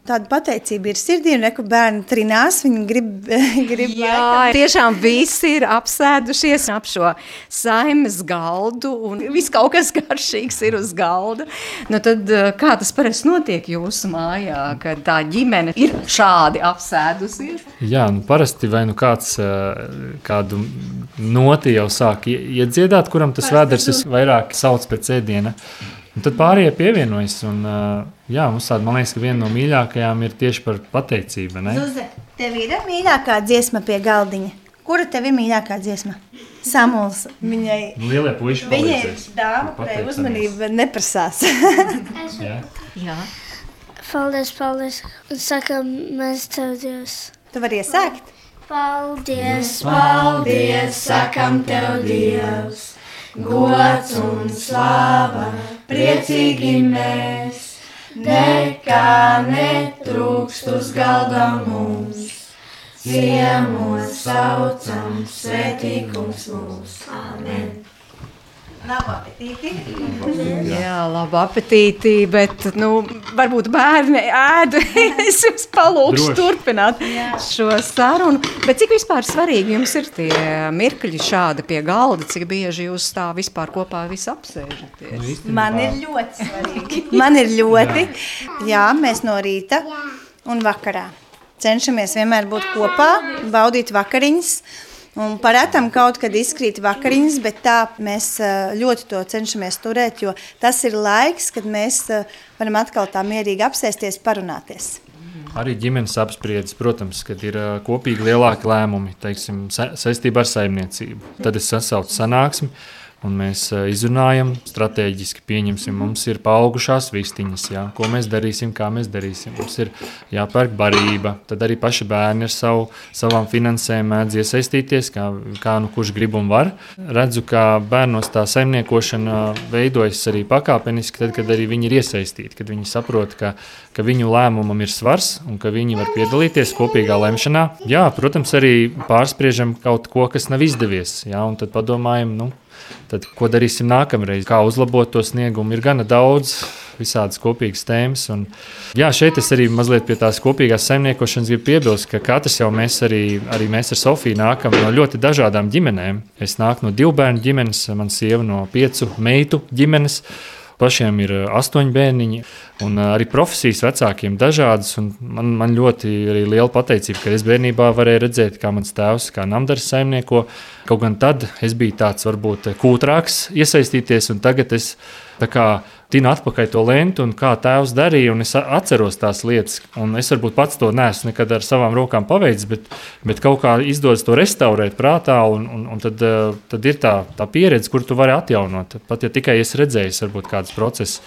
S5: Tāda pateicība ir sirdī, un reku bērni trinās, viņi grib
S3: Jā, tiešām visi ir apsēdušies ap šo saimes galdu, un viss kaut kas garšīgs ir uz galda. Nu tad, kā tas parasti notiek jūsu mājā, kad tā ģimene ir šādi apsēdusies?
S4: Jā, parasti vai kāds kādu noti jau sāk iedziedāt, kuram tas vēders visvairāk sauc pēc ēdiena. Un tad pārējie pievienojas, un mums tāda, man liekas, ka viena no mīļākajām ir tieši par pateicību, ne?
S5: Zuze, tev ir mīļākā dziesma pie galdiņa? Kura tev ir mīļākā dziesma? Samuls, viņai...
S4: Lielie puiši palīdzēs.
S5: Viņai dāma, kurai uzmanība neprasās.
S3: Jā.
S7: Paldies. Sakam, mēs tev Dievs.
S5: Tu vari iesākt?
S7: Paldies,
S8: sakam tev Dievs. Gods un slava, priecīgi mēs, nekā netrūkst uz galda mums. Ciemos saucam, svētīgums mūs. Amen.
S5: Labu apetīti.
S3: Jā, labu apetīti, bet, varbūt bērni ēd, es jums palūkšu turpināt šo sarunu. Bet cik vispār svarīgi jums ir tie mirkļi šādi pie galda, cik bieži jūs tā vispār kopā visi apsēžaties?
S5: Man ir ļoti svarīgi. Jā, mēs no rīta un vakarā cenšamies vienmēr būt kopā, baudīt vakariņas. Un parētam kaut kad izkrīt vakariņas, bet tā mēs ļoti to cenšamies turēt, jo tas ir laiks, kad mēs varam atkal tā mierīgi apsēsties, parunāties.
S4: Arī ģimenes apspriedes, protams, kad ir kopīgi lielāki lēmumi, teiksim, saistībā ar saimniecību. Tad es sasaucu sanāksmi, un mēs izrunājam, strateģiski pieņemsim, mums ir paaugušās vistiņas, ko mēs darīsim, kā mēs darīsim. Mums ir jāpērk barība, tad arī paši bērni ar savām finansēm mēdz iesaistīties, kā kurš grib un var. Redzu, ka bērnos tā saimniekošana veidojas arī pakāpeniski, tad, kad arī viņi ir iesaistīti, kad viņi saprot, ka viņu lēmumam ir svars un ka viņi var piedalīties kopīgā lemšanā. Jā, protams, arī pārspriežam kaut ko, kas nav izdevies, un tad padomājam, tad, ko darīsim nākamreiz, kā uzlabot to sniegumu. Ir gana daudz visādas kopīgas tēmas. Un, šeit es arī mazliet pie tās kopīgās saimniekošanas gribu piebilst, ka katrs jau mēs mēs ar Sofiju nākam no ļoti dažādām ģimenēm. Es nāku no 2 bērnu ģimenes, man sieva no 5 meitu ģimenes. Pašiem ir 8 bērniņi, un arī profesijas vecākiem dažādas. Man ļoti arī liela pateicība, ka es bērnībā varēju redzēt, kā mans tēvs, kā namdars saimnieko. Kaut gan tad es biju tāds varbūt kūtrāks iesaistīties, un tagad es tinu atpakaļ to lentu, un kā tēvs darīja, un es atceros tās lietas. Un es varbūt pats to neesmu nekad ar savām rokām paveicis, bet kaut kā izdodas to restaurēt prātā, un tad ir tā pieredze, kur tu vari atjaunot. Pat ja tikai es redzēju varbūt kādas procesus.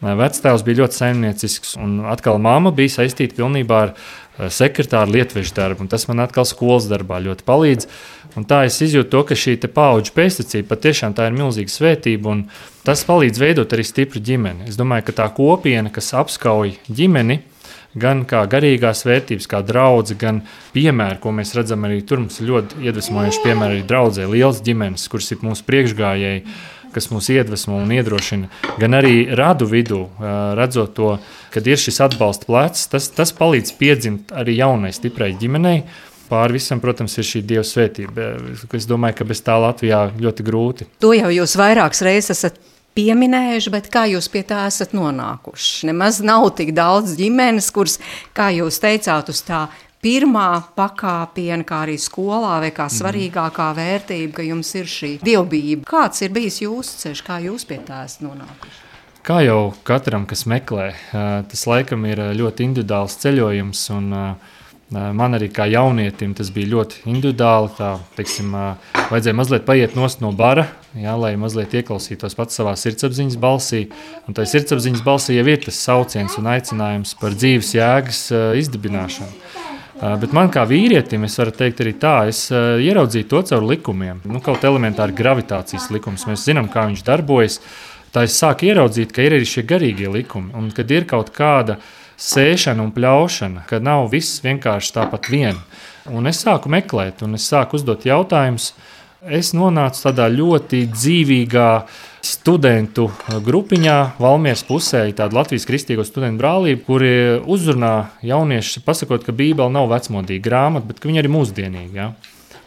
S4: Vectēvs bija ļoti saimniecisks, un atkal mamma bija saistīta pilnībā ar sekretāru lietvežu darbu, un tas man atkal skolas darbā ļoti palīdz. Un tā es izjūtu to, ka šī paudžu pēstniecība patiešām tā ir milzīga svētība, un tas palīdz veidot arī stipru ģimeni. Es domāju, ka tā kopiena, kas apskauj ģimeni, gan kā garīgās vērtības, kā draudze, gan piemēri, ko mēs redzam arī tur, mums ir ļoti iedvesmojoši piemēri arī draudzē, lielas ģimenes, kuras ir mūsu priekšgājēji, kas mūs iedvesmo un iedrošina, gan arī radu vidū, redzot to, kad ir šis atbalsta plecs, tas palīdz piedzimt arī jaunai, stiprai ģimenei. Pāri visam, protams, ir šī Dieva svētība. Es domāju, ka bez tā Latvijā ļoti grūti.
S3: To jau jūs vairākas reizes esat pieminējuši, bet kā jūs pie tā esat nonākuši? Nemaz nav tik daudz ģimenes, kuras, kā jūs teicāt, uz tā pirmā pakāpiena, kā arī skolā, vai kā svarīgākā vērtība, ka jums ir šī dievbijība. Kāds ir bijis jūsu ceļš, kā jūs pie tā esat nonākuši?
S4: Kā jau katram, kas meklē, tas laikam ir ļoti individuāls ceļojums, un man arī kā jaunietim tas bija ļoti individuāli. Tā, teiksim, vajadzēja mazliet paiet nost no bara, jā, lai mazliet ieklausītos pats savā sirdsapziņas balsī. Un tā sirdsapziņas balsī jau ir tas sauciens un aicinājums par dzīves jēgas izdibināšanu. Bet man kā vīrietim, es varu teikt arī tā, es ieraudzīju to caur likumiem. Kaut elementāri gravitācijas likums. Mēs zinām, kā viņš darbojas. Tā es sāku ieraudzīt, ka ir arī šie garīgie likumi. Un kad ir kaut kāda sēšana un pļaušana, kad nav viss vienkārši tāpat vien. Un es sāku meklēt, un es sāku uzdot jautājumus. Es nonācu tādā ļoti dzīvīgā studentu grupiņā, Valmieras pusē, tāda Latvijas kristīgo studentu brālība, kuri uzrunā jauniešus, pasakot, ka Bībele nav vecmodīga grāmata, bet ka viņa arī mūsdienīga. Ja?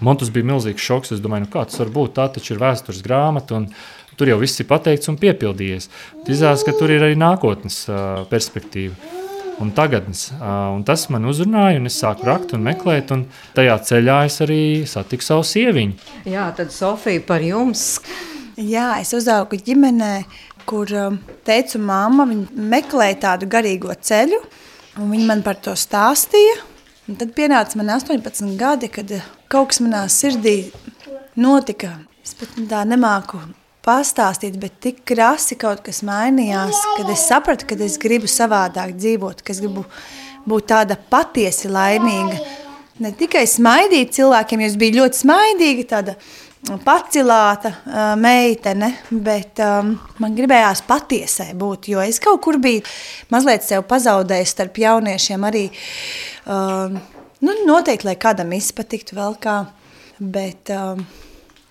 S4: Man tas bija milzīgs šoks. Es domāju, kā tas var būt? Tā taču ir vēstures grāmata, un tur jau viss ir pateikts un piepildījies. Izrādās, ka tur ir arī nākotnes perspektīva un tagadnes. Un tas man uzrunāja, un es sāku rakt un meklēt, un tajā ceļā es arī satiku savu sieviņu.
S3: Jā, tad Sofija par jums.
S5: Jā, es uzaugu ģimenē, kur teica mamma, viņa meklēja tādu garīgo ceļu, un viņa man par to stāstīja. Un tad pienāca man 18 gadi, kad kaut kas manā sirdī notika. Es pat tā nemāku pastāstīt, bet tik krasi kaut kas mainījās, kad es sapratu, ka es gribu savādāk dzīvot, ka es gribu būt tāda patiesi laimīga. Ne tikai smaidīt cilvēkiem, jo es biju ļoti smaidīga, tāda pacilāta meitene, bet man gribējās patiesai būt, jo es kaut kur biju mazliet sev pazaudējis starp jauniešiem arī, noteikti, lai kādam izpatiktu vēl kā, bet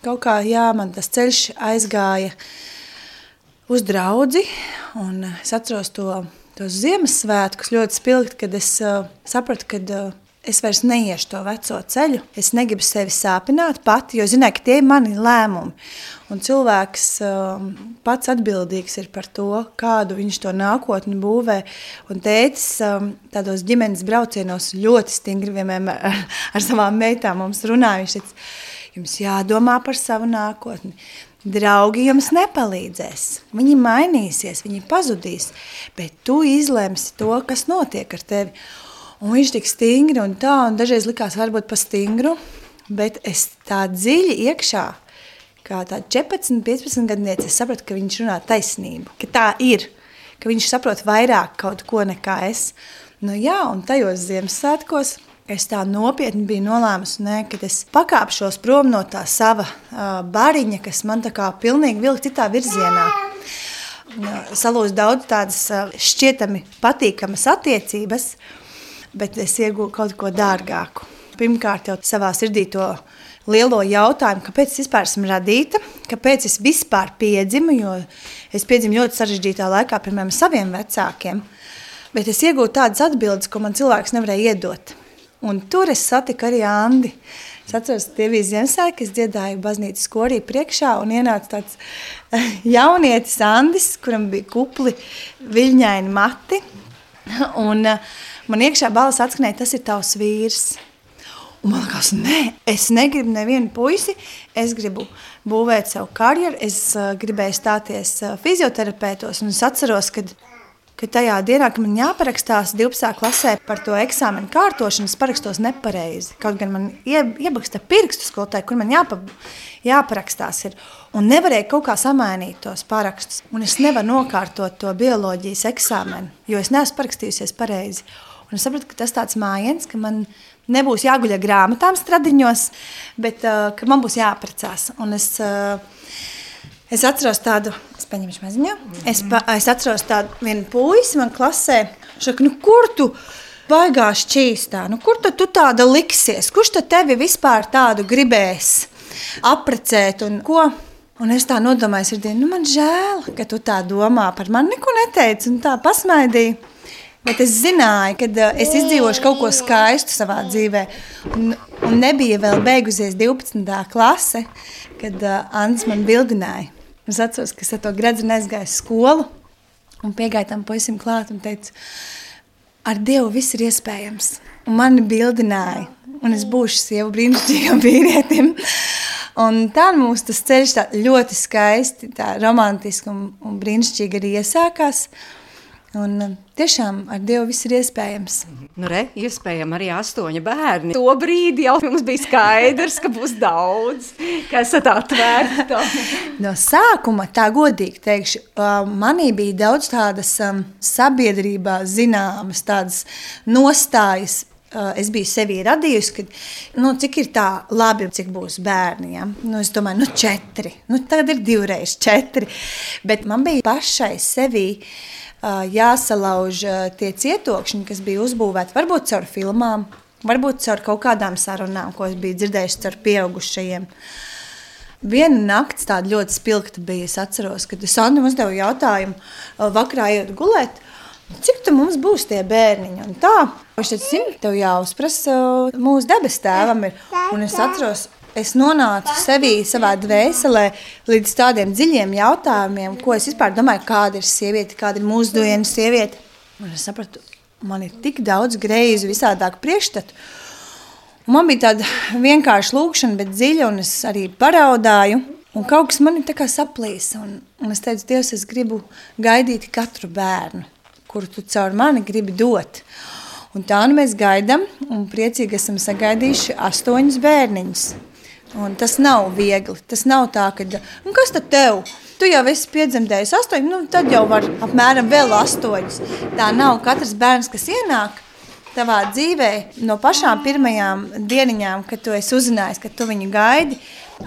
S5: kaut kā, jā, man tas ceļš aizgāja uz draudzi, un es atceros tos Ziemassvētkus ļoti spilgti, kad es sapratu, kad es vairs neiešu to veco ceļu. Es negribu sevi sāpināt pati, jo zināju, ka tie ir mani lēmumi. Un cilvēks pats atbildīgs ir par to, kādu viņš to nākotni būvē. Un tētis tādos ģimenes braucienos ļoti stingri vienmēr ar savām meitām mums runāja. Viņš teica, jums jādomā par savu nākotni. Draugi jums nepalīdzēs. Viņi mainīsies, viņi pazudīs, bet tu izlemsi to, kas notiek ar tevi. Un viņš tik stingri un tā, un dažreiz likās varbūt pa stingru, bet es tā dziļi iekšā, kā tā 14-15 gadniece, es sapratu, ka viņš runā taisnību, ka tā ir, ka viņš saprot vairāk kaut ko nekā es. Jā, un tajos Ziemassvētkos es tā nopietni biju nolēmusi, kad es pakāpšos prom no tā sava bariņa, kas man tā kā pilnīgi vilka citā virzienā. Salūst daudz tādas šķietami patīkamas attiecības, bet es iegūju kaut ko dārgāku. Pirmkārt jau savā sirdī to lielo jautājumu, kāpēc es vispār esmu radīta, kāpēc es vispār piedzimu, jo es piedzimu ļoti sarežģītā laikā, piemēram, saviem vecākiem, bet es iegūju tādas atbildes, ko man cilvēks nevarēja iedot. Un tur es satiku arī Andi. Es atceros, tie bija Ziemassvētki, es dziedāju baznīcas korī priekšā un ienāca tāds jaunietis Andis, kuram bija kupli viļņaini mati. Un man iekšā balss atskanēja, tas ir tavs vīrs. Un man likās, es negribu nevienu puisi, es gribu būvēt savu karjeru, es gribēju stāties fizioterapeitos, un es atceros, ka tajā dienā, kad man jāparakstās 12. klasē par to eksāmenu kārtošanu, es parakstos nepareizi. Kaut gan man iebaksta pirkstu skolotāji, kur man jāparakstās ir. Un nevarēja kaut kā samainīt tos parakstus. Un es nevaru nokārtot to bioloģijas eksāmenu, jo es neesmu parakstījusies pareizi. Un es sapratu, ka tas tāds mājiens, ka man nebūs jāguļ ar grāmatām stradiņos, bet ka man būs jāprecās. Un es atceros tādu, es paņemšu maziņu, es atceros tādu vienu puisi man klasē, šaka, kur tu baigā šķīstā, kur tu tāda liksies, kurš tad tevi vispār tādu gribēs aprecēt un ko? Un es tā nodomāju sirdī, man žēl, ka tu tā domā, par mani neko neteici un tā pasmaidīju. Bet es zināju, ka es izdzīvošu kaut ko skaistu savā dzīvē. Un nebija vēl beigusies 12. klase, kad Andis man bildināja. Es atceros, ka es ar to gredzenu aizgāju skolu un piegāju tam puisim klāt un teicu, ar Dievu viss ir iespējams. un mani bildināja. Un es būšu sieva brīnišķīgam vīrietim. Un tā mums tas ceļš tā ļoti skaisti, tā romantiski un brīnišķīgi arī iesākās. Un tiešām ar Dievu viss ir iespējams.
S3: Nu iespējami arī 8 bērni. To brīdi jau mums bija skaidrs, ka būs daudz, ka esat atvērti.
S5: No sākuma, tā godīgi teikšu, manī bija daudz tādas sabiedrībā zināmas, tādas nostājas. Es biju sevī radījusi, ka cik ir tā labi, cik būs bērni. Ja? Es domāju, 4. Tagad ir 2 reiz 4. Bet man bija pašai sevī jāsalauž tie cietokšņi, kas bija uzbūvēti. Varbūt caur filmām, varbūt caur kaut kādām sarunām, ko es biju dzirdējusi caur pieaugušajiem. Viena nakts tāda ļoti spilgta bija. Es atceros, kad Sandra uzdevu jautājumu vakarā ejot gulēt. Cik tu mums būs tie bērniņi? Un tā, viņš teica, zini, tev jāuzprasa mūsu debes tēvam ir. Un es atceros, es nonācu sevī savā dvēselē līdz tādiem dziļiem jautājumiem, ko es vispār domāju, kāda ir sieviete, kāda ir mūsdienu sieviete. Un es sapratu, man ir tik daudz greizu visādāku priekšstatu. Un man bija tāda vienkārša lūkšana, bet dziļa, un es arī paraudāju. Un kaut kas man ir tā kā saplīsa. Un es teicu, Dievs, es gribu gaidīt katru bērnu, kuru tu caur mani gribi dot. Un tā mēs gaidām, un priecīgi esam sagaidījuši 8 bērniņus. Un tas nav viegli. Tas nav tā, ka, kas tad tev? Tu jau esi piedzemdējis 8, tad jau var apmēram vēl 8. Tā nav katrs bērns, kas ienāk tavā dzīvē no pašām pirmajām dieniņām, kad tu esi uzzinājis, ka tu viņu gaidi.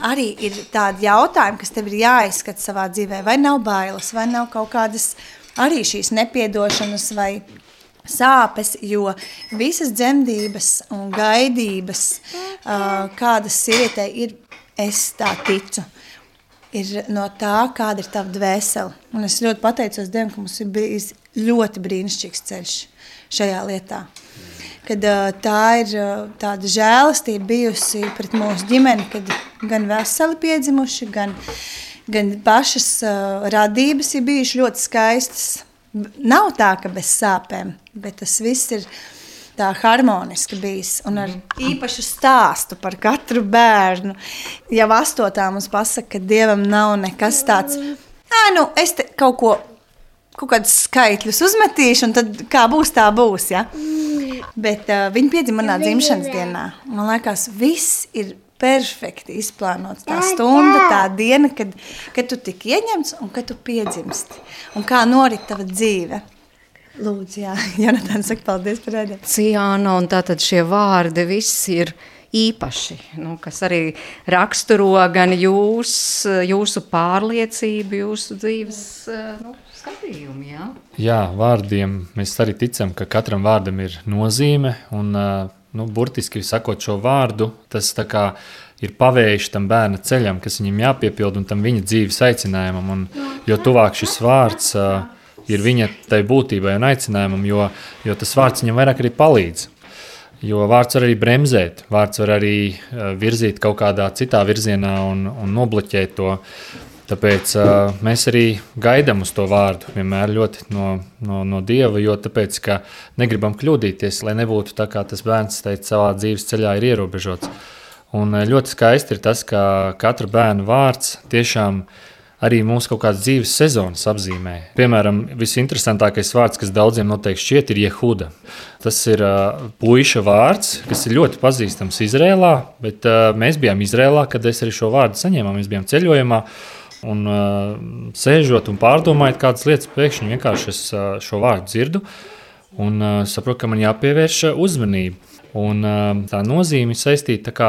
S5: Arī ir tādi jautājumi, kas tev ir jāizskata savā dzīvē. Vai nav bailes, vai nav kaut kādas arī šīs nepiedošanas vai sāpes, jo visas dzemdības un gaidības, kādas sievietei ir, es tā ticu, ir no tā, kāda ir tava dvēsele. Un es ļoti pateicos Dievam, ka mums ir bijis ļoti brīnišķīgs ceļš šajā lietā. Kad tā ir tāda žēlastība bijusi pret mūsu ģimeni, kad gan veseli piedzimuši, gan pašas radības ir bijuši ļoti skaistas. Nav tā, ka bez sāpēm, bet tas viss ir tā harmoniski bijis. Un ar īpašu stāstu par katru bērnu. Jau 8. mums pasaka, ka Dievam nav nekas tāds, es te kaut kādus skaitļus uzmetīšu, un tad kā būs, tā būs. Ja? Bet viņi piedzima manā dzimšanas dienā. Man liekas, viss ir perfekti izplānots. Tā stunda, tā diena, kad tu tik ieņemts un kad tu piedzimsti. Un kā norit tava dzīve. Lūdzu, jā, Jonathan saka paldies par redzējumu.
S3: Ciāna, un tātad šie vārdi viss ir īpaši, kas arī raksturo gan jūsu pārliecību, jūsu dzīves skatījumu, jā?
S4: Jā, vārdiem mēs arī ticam, ka katram vārdam ir nozīme, un burtiski sakot šo vārdu, tas tā kā ir pavējis tam bērna ceļam, kas viņam jāpiepild un tam viņa dzīves aicinājumam, un jo tuvāk šis vārds ir viņa tai būtībai un aicinājumam, jo tas vārds viņam vairāk arī palīdz. Jo vārds var arī bremzēt, vārds var arī virzīt kaut kādā citā virzienā un nobloķēt to. Tāpēc mēs arī gaidām uz to vārdu vienmēr ļoti no Dieva, jo tāpēc, ka negribam kļūdīties, lai nebūtu tā, kā tas bērns teica, savā dzīves ceļā ir ierobežots. Un ļoti skaisti ir tas, ka katra bērna vārds tiešām arī mūsu kaut kādas dzīves sezonas apzīmē. Piemēram, visinteresantākais vārds, kas daudziem noteikti šķiet, ir Jehuda. Tas ir puiša vārds, kas ir ļoti pazīstams Izrēlā, bet mēs bijām Izrēlā, kad es arī šo vārdu saņēmām, mēs bijām ceļojumā. Un sēžot un pārdomājot kādas lietas, pēkšņi vienkārši es šo vārdu dzirdu un saprotu, ka man jāpievērš uzmanība. Un tā nozīme saistīta tā kā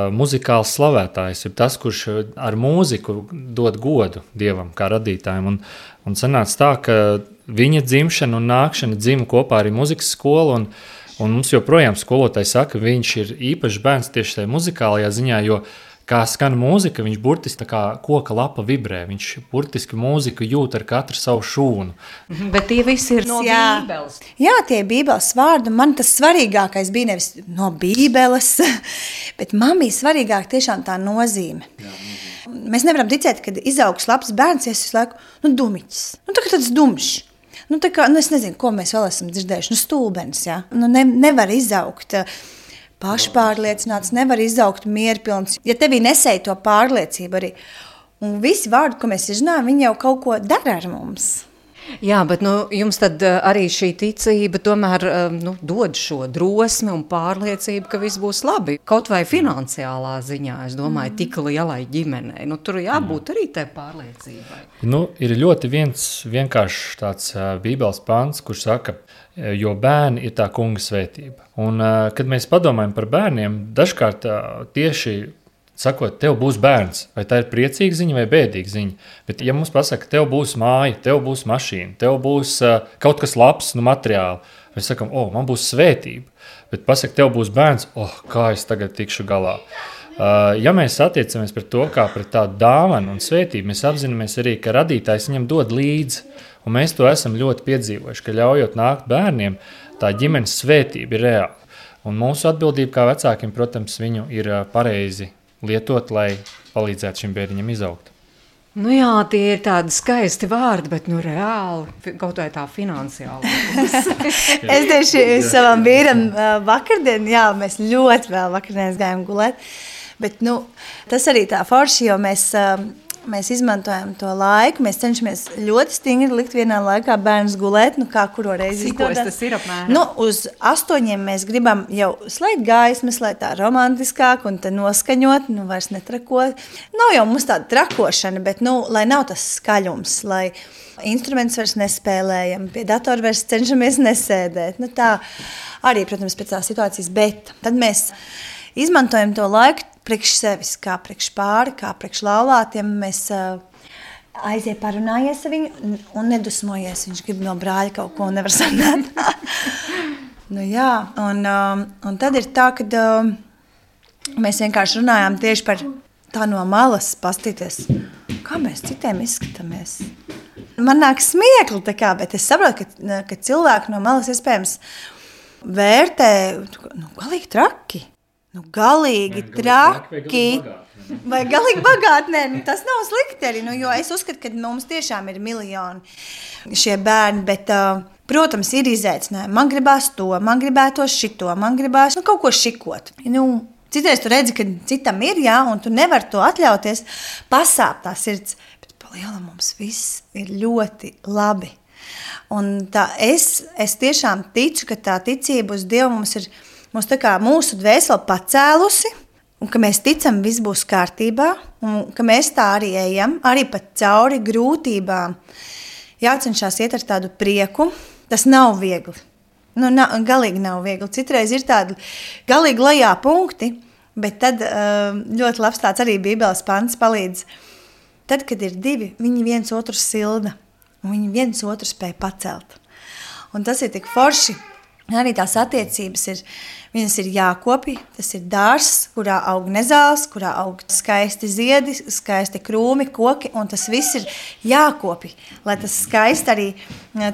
S4: muzikāls slavētājs ir tas, kurš ar mūziku dod godu Dievam kā radītājiem. Un sanāca tā, ka viņa dzimšana un nākšana dzima kopā arī muzikas skola, un mums joprojām skolotāji saka, ka viņš ir īpašs bērns tieši tajā muzikālajā ziņā, jo kā skan mūzika, viņš burtiski tā kā koka lapa vibrē. Viņš burtiski mūziku jūt ar katru savu šūnu.
S3: Bet tie visi ir no Bībeles.
S5: Jā, tie ir Bībeles vārdi. Man tas svarīgākais bija nevis no Bībeles, bet man bija svarīgāk tiešām tā nozīme. Jā. Mēs nevaram ticēt, kad izaugs labs bērns, ja es visu laiku, dumiķis. Tagad tāds dumšs. tā kā, es nezinu, ko mēs vēl esam dzirdējuši, stulbenis, ja? Nevar izaugt pašpārliecināts, nevar izaugt mierpilns, ja tevī nesēja to pārliecību arī. Un visi vārdi, ko mēs izrunājam, viņi jau kaut ko dara ar mums.
S3: Jā, bet jums tad arī šī ticība tomēr dod šo drosmi un pārliecību, ka viss būs labi. Kaut vai finansiālā ziņā, es domāju, tik lielai ģimenei. Tur jābūt arī tai pārliecībai.
S4: Ir ļoti vienkāršs tāds Bībeles pants, kurš saka, jo bērni ir tā kunga svētība. Un, kad mēs padomājam par bērniem, dažkārt tieši sakot, tev būs bērns, vai tā ir priecīga ziņa vai bēdīga ziņa. Bet ja mums pasaka, tev būs māja, tev būs mašīna, tev būs kaut kas labs, materiāli, mēs sakam, man būs svētība. Bet pasaka, tev būs bērns, kā es tagad tikšu galā. Ja mēs attiecamies pret to kā pret tādu dāvanu un svētību, mēs apzināmies arī, ka radītājs viņam dod līdzi. Un mēs to esam ļoti piedzīvojuši, ka ļaujot nākt bērniem, tā ģimenes svētība ir reāla. Un mūsu atbildība kā vecākiem, protams, viņu ir pareizi lietot, lai palīdzētu šim bērniņam izaugt.
S3: Jā, tie ir tādi skaisti vārdi, bet reāli kaut vai tā finansiāli.
S5: Es tieši savam vīram vakardien, mēs ļoti vēl vakardienas gājām gulēt, bet tas arī tā forši, jo mēs izmantojam to laiku, mēs cenšamies ļoti stingri likt vienā laikā bērnus gulēt, kā kuro reizi
S3: izdodas. Tas ir apmēram?
S5: Uz 8 mēs gribam jau slēgt gaismas, lai tā romantiskāk un te noskaņot, vairs netrakot. Nav jau mums tāda trakošana, bet, lai nav tas skaļums, lai instruments vairs nespēlējam, pie datora vairs cenšamies nesēdēt. Tā arī, protams, pēc tā situācijas, bet tad mēs izmantojam to laiku priekš sevis, kā priekš pāri, kā priekš laulātiem. Mēs aiziet parunājies ar viņu un nedusmojies. Viņš grib no brāļa kaut ko nevar sarunāt. Un tad ir tā, kad mēs vienkārši runājām tieši par tā no malas pastīties, kā mēs citiem izskatāmies. Man nāk smiekli, bet es saprotu, ka cilvēki no malas iespējams vērtē galīgi traki. Galīgi traki vai galīgi bagāti. Tas nav slikti arī, jo es uzskatu, ka mums tiešām ir miljoni šie bērni, bet, protams, ir izaicinājumi. Man gribās to, man gribētos šito, man gribās kaut ko šikot. Citreiz tu redzi, ka citam ir, un tu nevari to atļauties, pasāp tā sirds, bet pa lielam mums viss ir ļoti labi. Un es tiešām ticu, ka tā ticība uz Dievu mums ir tā kā mūsu dvēseli pacēlusi, un ka mēs ticam, viss būs kārtībā, un ka mēs tā arī ejam, arī pat cauri grūtībām. Jācenšās iet ar tādu prieku, tas nav viegli. Galīgi nav viegli. Citreiz ir tādi galīgi lejā punkti, bet tad ļoti labs tāds arī Bībeles pants palīdz. Tad, kad ir divi, viņi viens otru silda, un viņi viens otru spēj pacelt. Un tas ir tik forši. Arī tās attiecības viņas ir jākopi, tas ir dārzs, kurā aug nezāles, kurā aug skaisti ziedi, skaisti krūmi, koki, un tas viss ir jākopi, lai tas skaisti arī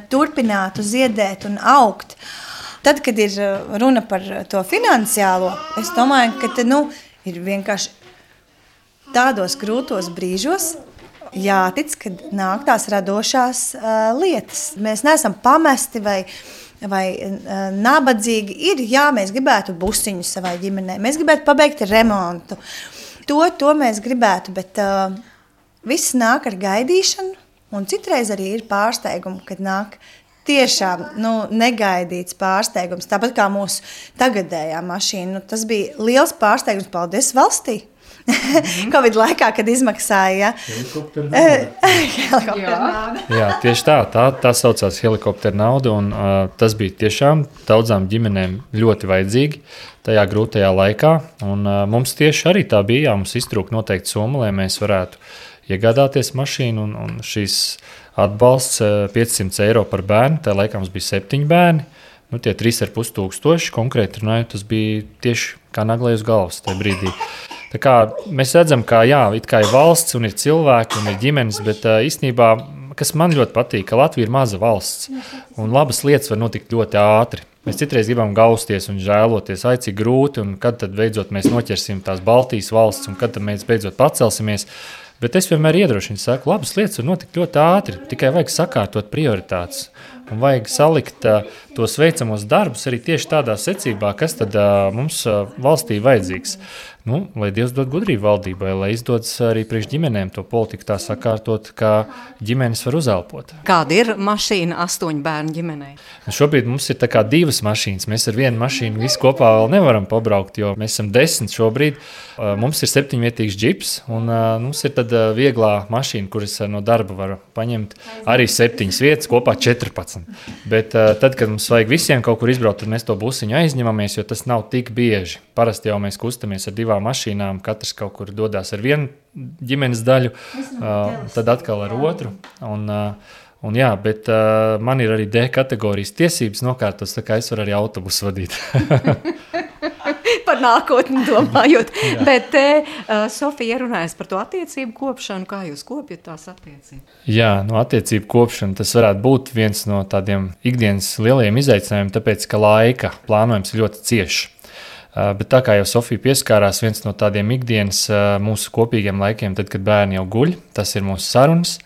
S5: turpinātu ziedēt un augt. Tad, kad ir runa par to finansiālo, es domāju, ka ir vienkārši tādos grūtos brīžos jātic, kad nāk tās radošās lietas. Mēs neesam pamesti vai nabadzīgi. Mēs gribētu busiņu savai ģimenei, mēs gribētu pabeigt remontu. To mēs gribētu, bet viss nāk ar gaidīšanu, un citreiz arī ir pārsteigumi, kad nāk tiešām negaidīts pārsteigums. Tāpat kā mūsu tagadējā mašīna, tas bija liels pārsteigums, paldies valstī. Covid laikā, kad izmaksāja helikoptera nauda.
S4: Jā, tieši tā saucās helikoptera nauda, un tas bija tiešām daudzām ģimenēm ļoti vajadzīgi tajā grūtajā laikā, un mums tieši arī tā bija, mums iztrūka noteikti summa, lai mēs varētu iegādāties mašīnu, un šīs atbalsts 500 eiro par bērnu, tajā laikā mums bija 7 bērni, tie 3,5 tūkstoši, konkrēti runājot, tas bija tieši kā naglai uz galvas tajā brīdī. Tā kā mēs redzam, ka it kā ir valsts un ir cilvēki un ir ģimenes, bet īstenībā, kas man ļoti patīk, ka Latvija ir maza valsts un labas lietas var notikt ļoti ātri. Mēs citreiz gribam gausties un žēloties, cik grūti, un kad tad beidzot mēs noķersim tās Baltijas valsts un kad tad mēs beidzot pacelsimies. Bet es vienmēr iedrošinu, saku, labas lietas var notikt ļoti ātri, tikai vajag sakārtot prioritātes. un vajag salikt tos veicamos darbus arī tieši tādā secībā, kas tad mums valstī vajadzīgs. Lai Dievs dod gudrību valdībai, lai izdodas arī priekš ģimenēm to politiku tā sakārtot, kā ģimenes var uzelpot.
S3: Kāda ir mašīna 8 bērnu ģimenei?
S4: Šobrīd mums ir tā kā 2 mašīnas. Mēs ar vienu mašīnu visi kopā vēl nevaram pabraukt, jo mēs esam 10 šobrīd. Mums ir 7-vietīgs džips, un mums ir tad vieglā mašīna, kuras no darba var paņemt arī 7 vietas, kopā 14. Bet tad, kad mums vajag visiem kaut kur izbraukt, tad mēs to busiņu aizņemamies, jo tas nav tik bieži. Parasti jau mēs kustamies ar 2 mašīnām, katrs kaut kur dodās ar vienu ģimenes daļu, tad atkal ar otru. Un jā, bet man ir arī D kategorijas tiesības nokārtos, tā kā es varu arī autobusu vadīt.
S3: Par nākotni domājot. Bet Sofija runājas par to attiecību kopšanu. Kā jūs kopjat tās attiecības?
S4: Jā, attiecību kopšana tas varētu būt viens no tādiem ikdienas lielajiem izaicinājumiem, tāpēc, ka laika plānojums ir ļoti ciešs. Bet tā kā jau Sofija pieskārās, viens no tādiem ikdienas mūsu kopīgiem laikiem, tad, kad bērni jau guļ, tas ir mūsu sarunas.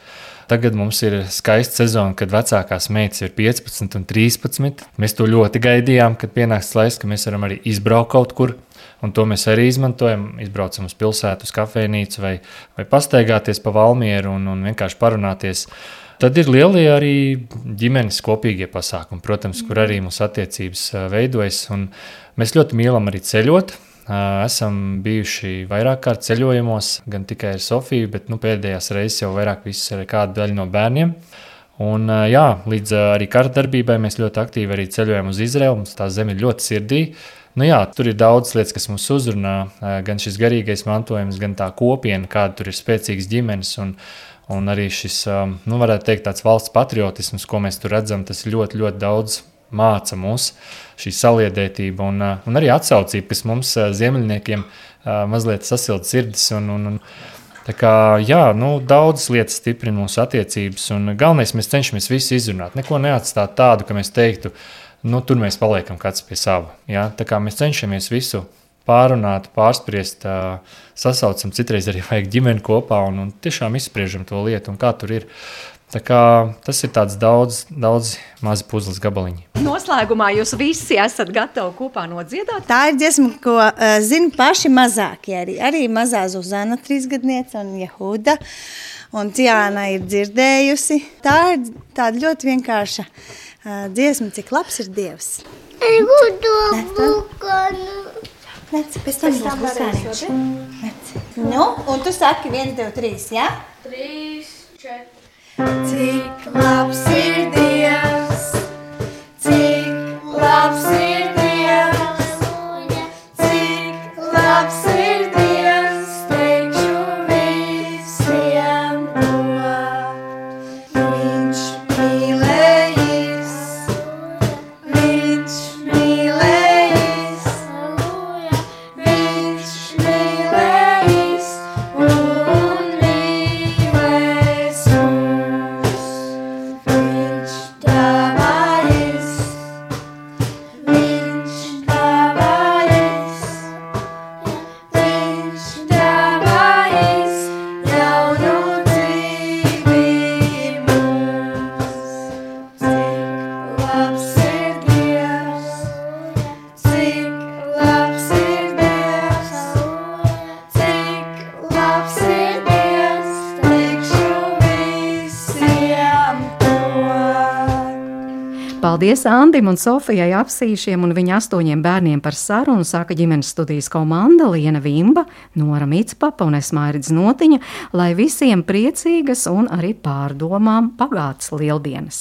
S4: Tagad mums ir skaista sezona, kad vecākās meitas ir 15 un 13. Mēs to ļoti gaidījām, kad pienāks laiks, ka mēs varam arī izbraukt kaut kur. Un to mēs arī izmantojam. Izbraucam uz pilsētu, uz kafejnīcu vai pastaigāties pa Valmieru un vienkārši parunāties. Tad ir lielie arī ģimenes kopīgie pasākumi, protams, kur arī mūsu attiecības veidojas. Un mēs ļoti mīlam arī ceļot. Esam bijuši vairāk kārt ceļojumos, gan tikai ar Sofiju, bet pēdējās reizes jau vairāk viss ar kādu daļu no bērniem. Un jā, līdz arī karadarbībai mēs ļoti aktīvi arī ceļojam uz Izraelu, mums tā zeme ir ļoti sirdī. Tur ir daudz lietas, kas mums uzrunā, gan šis garīgais mantojums, gan tā kopiena, kāda tur ir spēcīgas ģimenes un arī šis, varētu teikt, tāds valsts patriotisms, ko mēs tur redzam, tas ir ļoti, ļoti daudz māca mūs šī saliedētība un arī atsaucība, kas mums ziemeļniekiem mazliet sasilda sirdis. Tā kā, jā, daudzas lietas stiprina mūsu attiecības un galvenais mēs cenšamies visu izrunāt. Neko neatstāt tādu, ka mēs teiktu, tur mēs paliekam kāds pie sava. Ja? Tā kā mēs cenšamies visu pārunāt, pārspriest, sasaucam, citreiz arī vajag ģimeni kopā un tiešām izspriežam to lietu un kā tur ir. Tā kā tas ir tāds daudz mazi puzles gabaliņi.
S3: Noslēgumā jūs visi esat gatavi kopā nodziedāt?
S5: Tā ir dziesma, ko zina paši mazākie. Arī mazā Zuzana 3-gadniece un Jehuda. Un Ciāna ir dzirdējusi. Tā ir tāda ļoti vienkārša dziesma, cik labs ir Dievs. Nec, pēc tam būs būsāniņš. Un tu saki 1, 2, 3, jā?
S8: 3, 4. Cik labs ir Dievs, cik labs ir Dievs, cik labs ir Dievs, teikšu visiem to. Viņš mīlējis, viņš mīlējis, viņš mīlējis un mīlēs mūs. Viņš dāvājis, viņš dāvājis, viņš dāvājis jaunu dzīvi mums. Cik labs ir Dievs, cik labs ir Dievs, cik labs ir Dievs, teikšu visiem to.
S3: Paldies Andim un Sofijai Apsīšiem un viņa 8 bērniem par sarunu, saka ģimenes studijas komanda Liena Vimba, Nora Micpapa un es Mairidz Notiņa, lai visiem priecīgas un arī pārdomām pagātas lieldienas.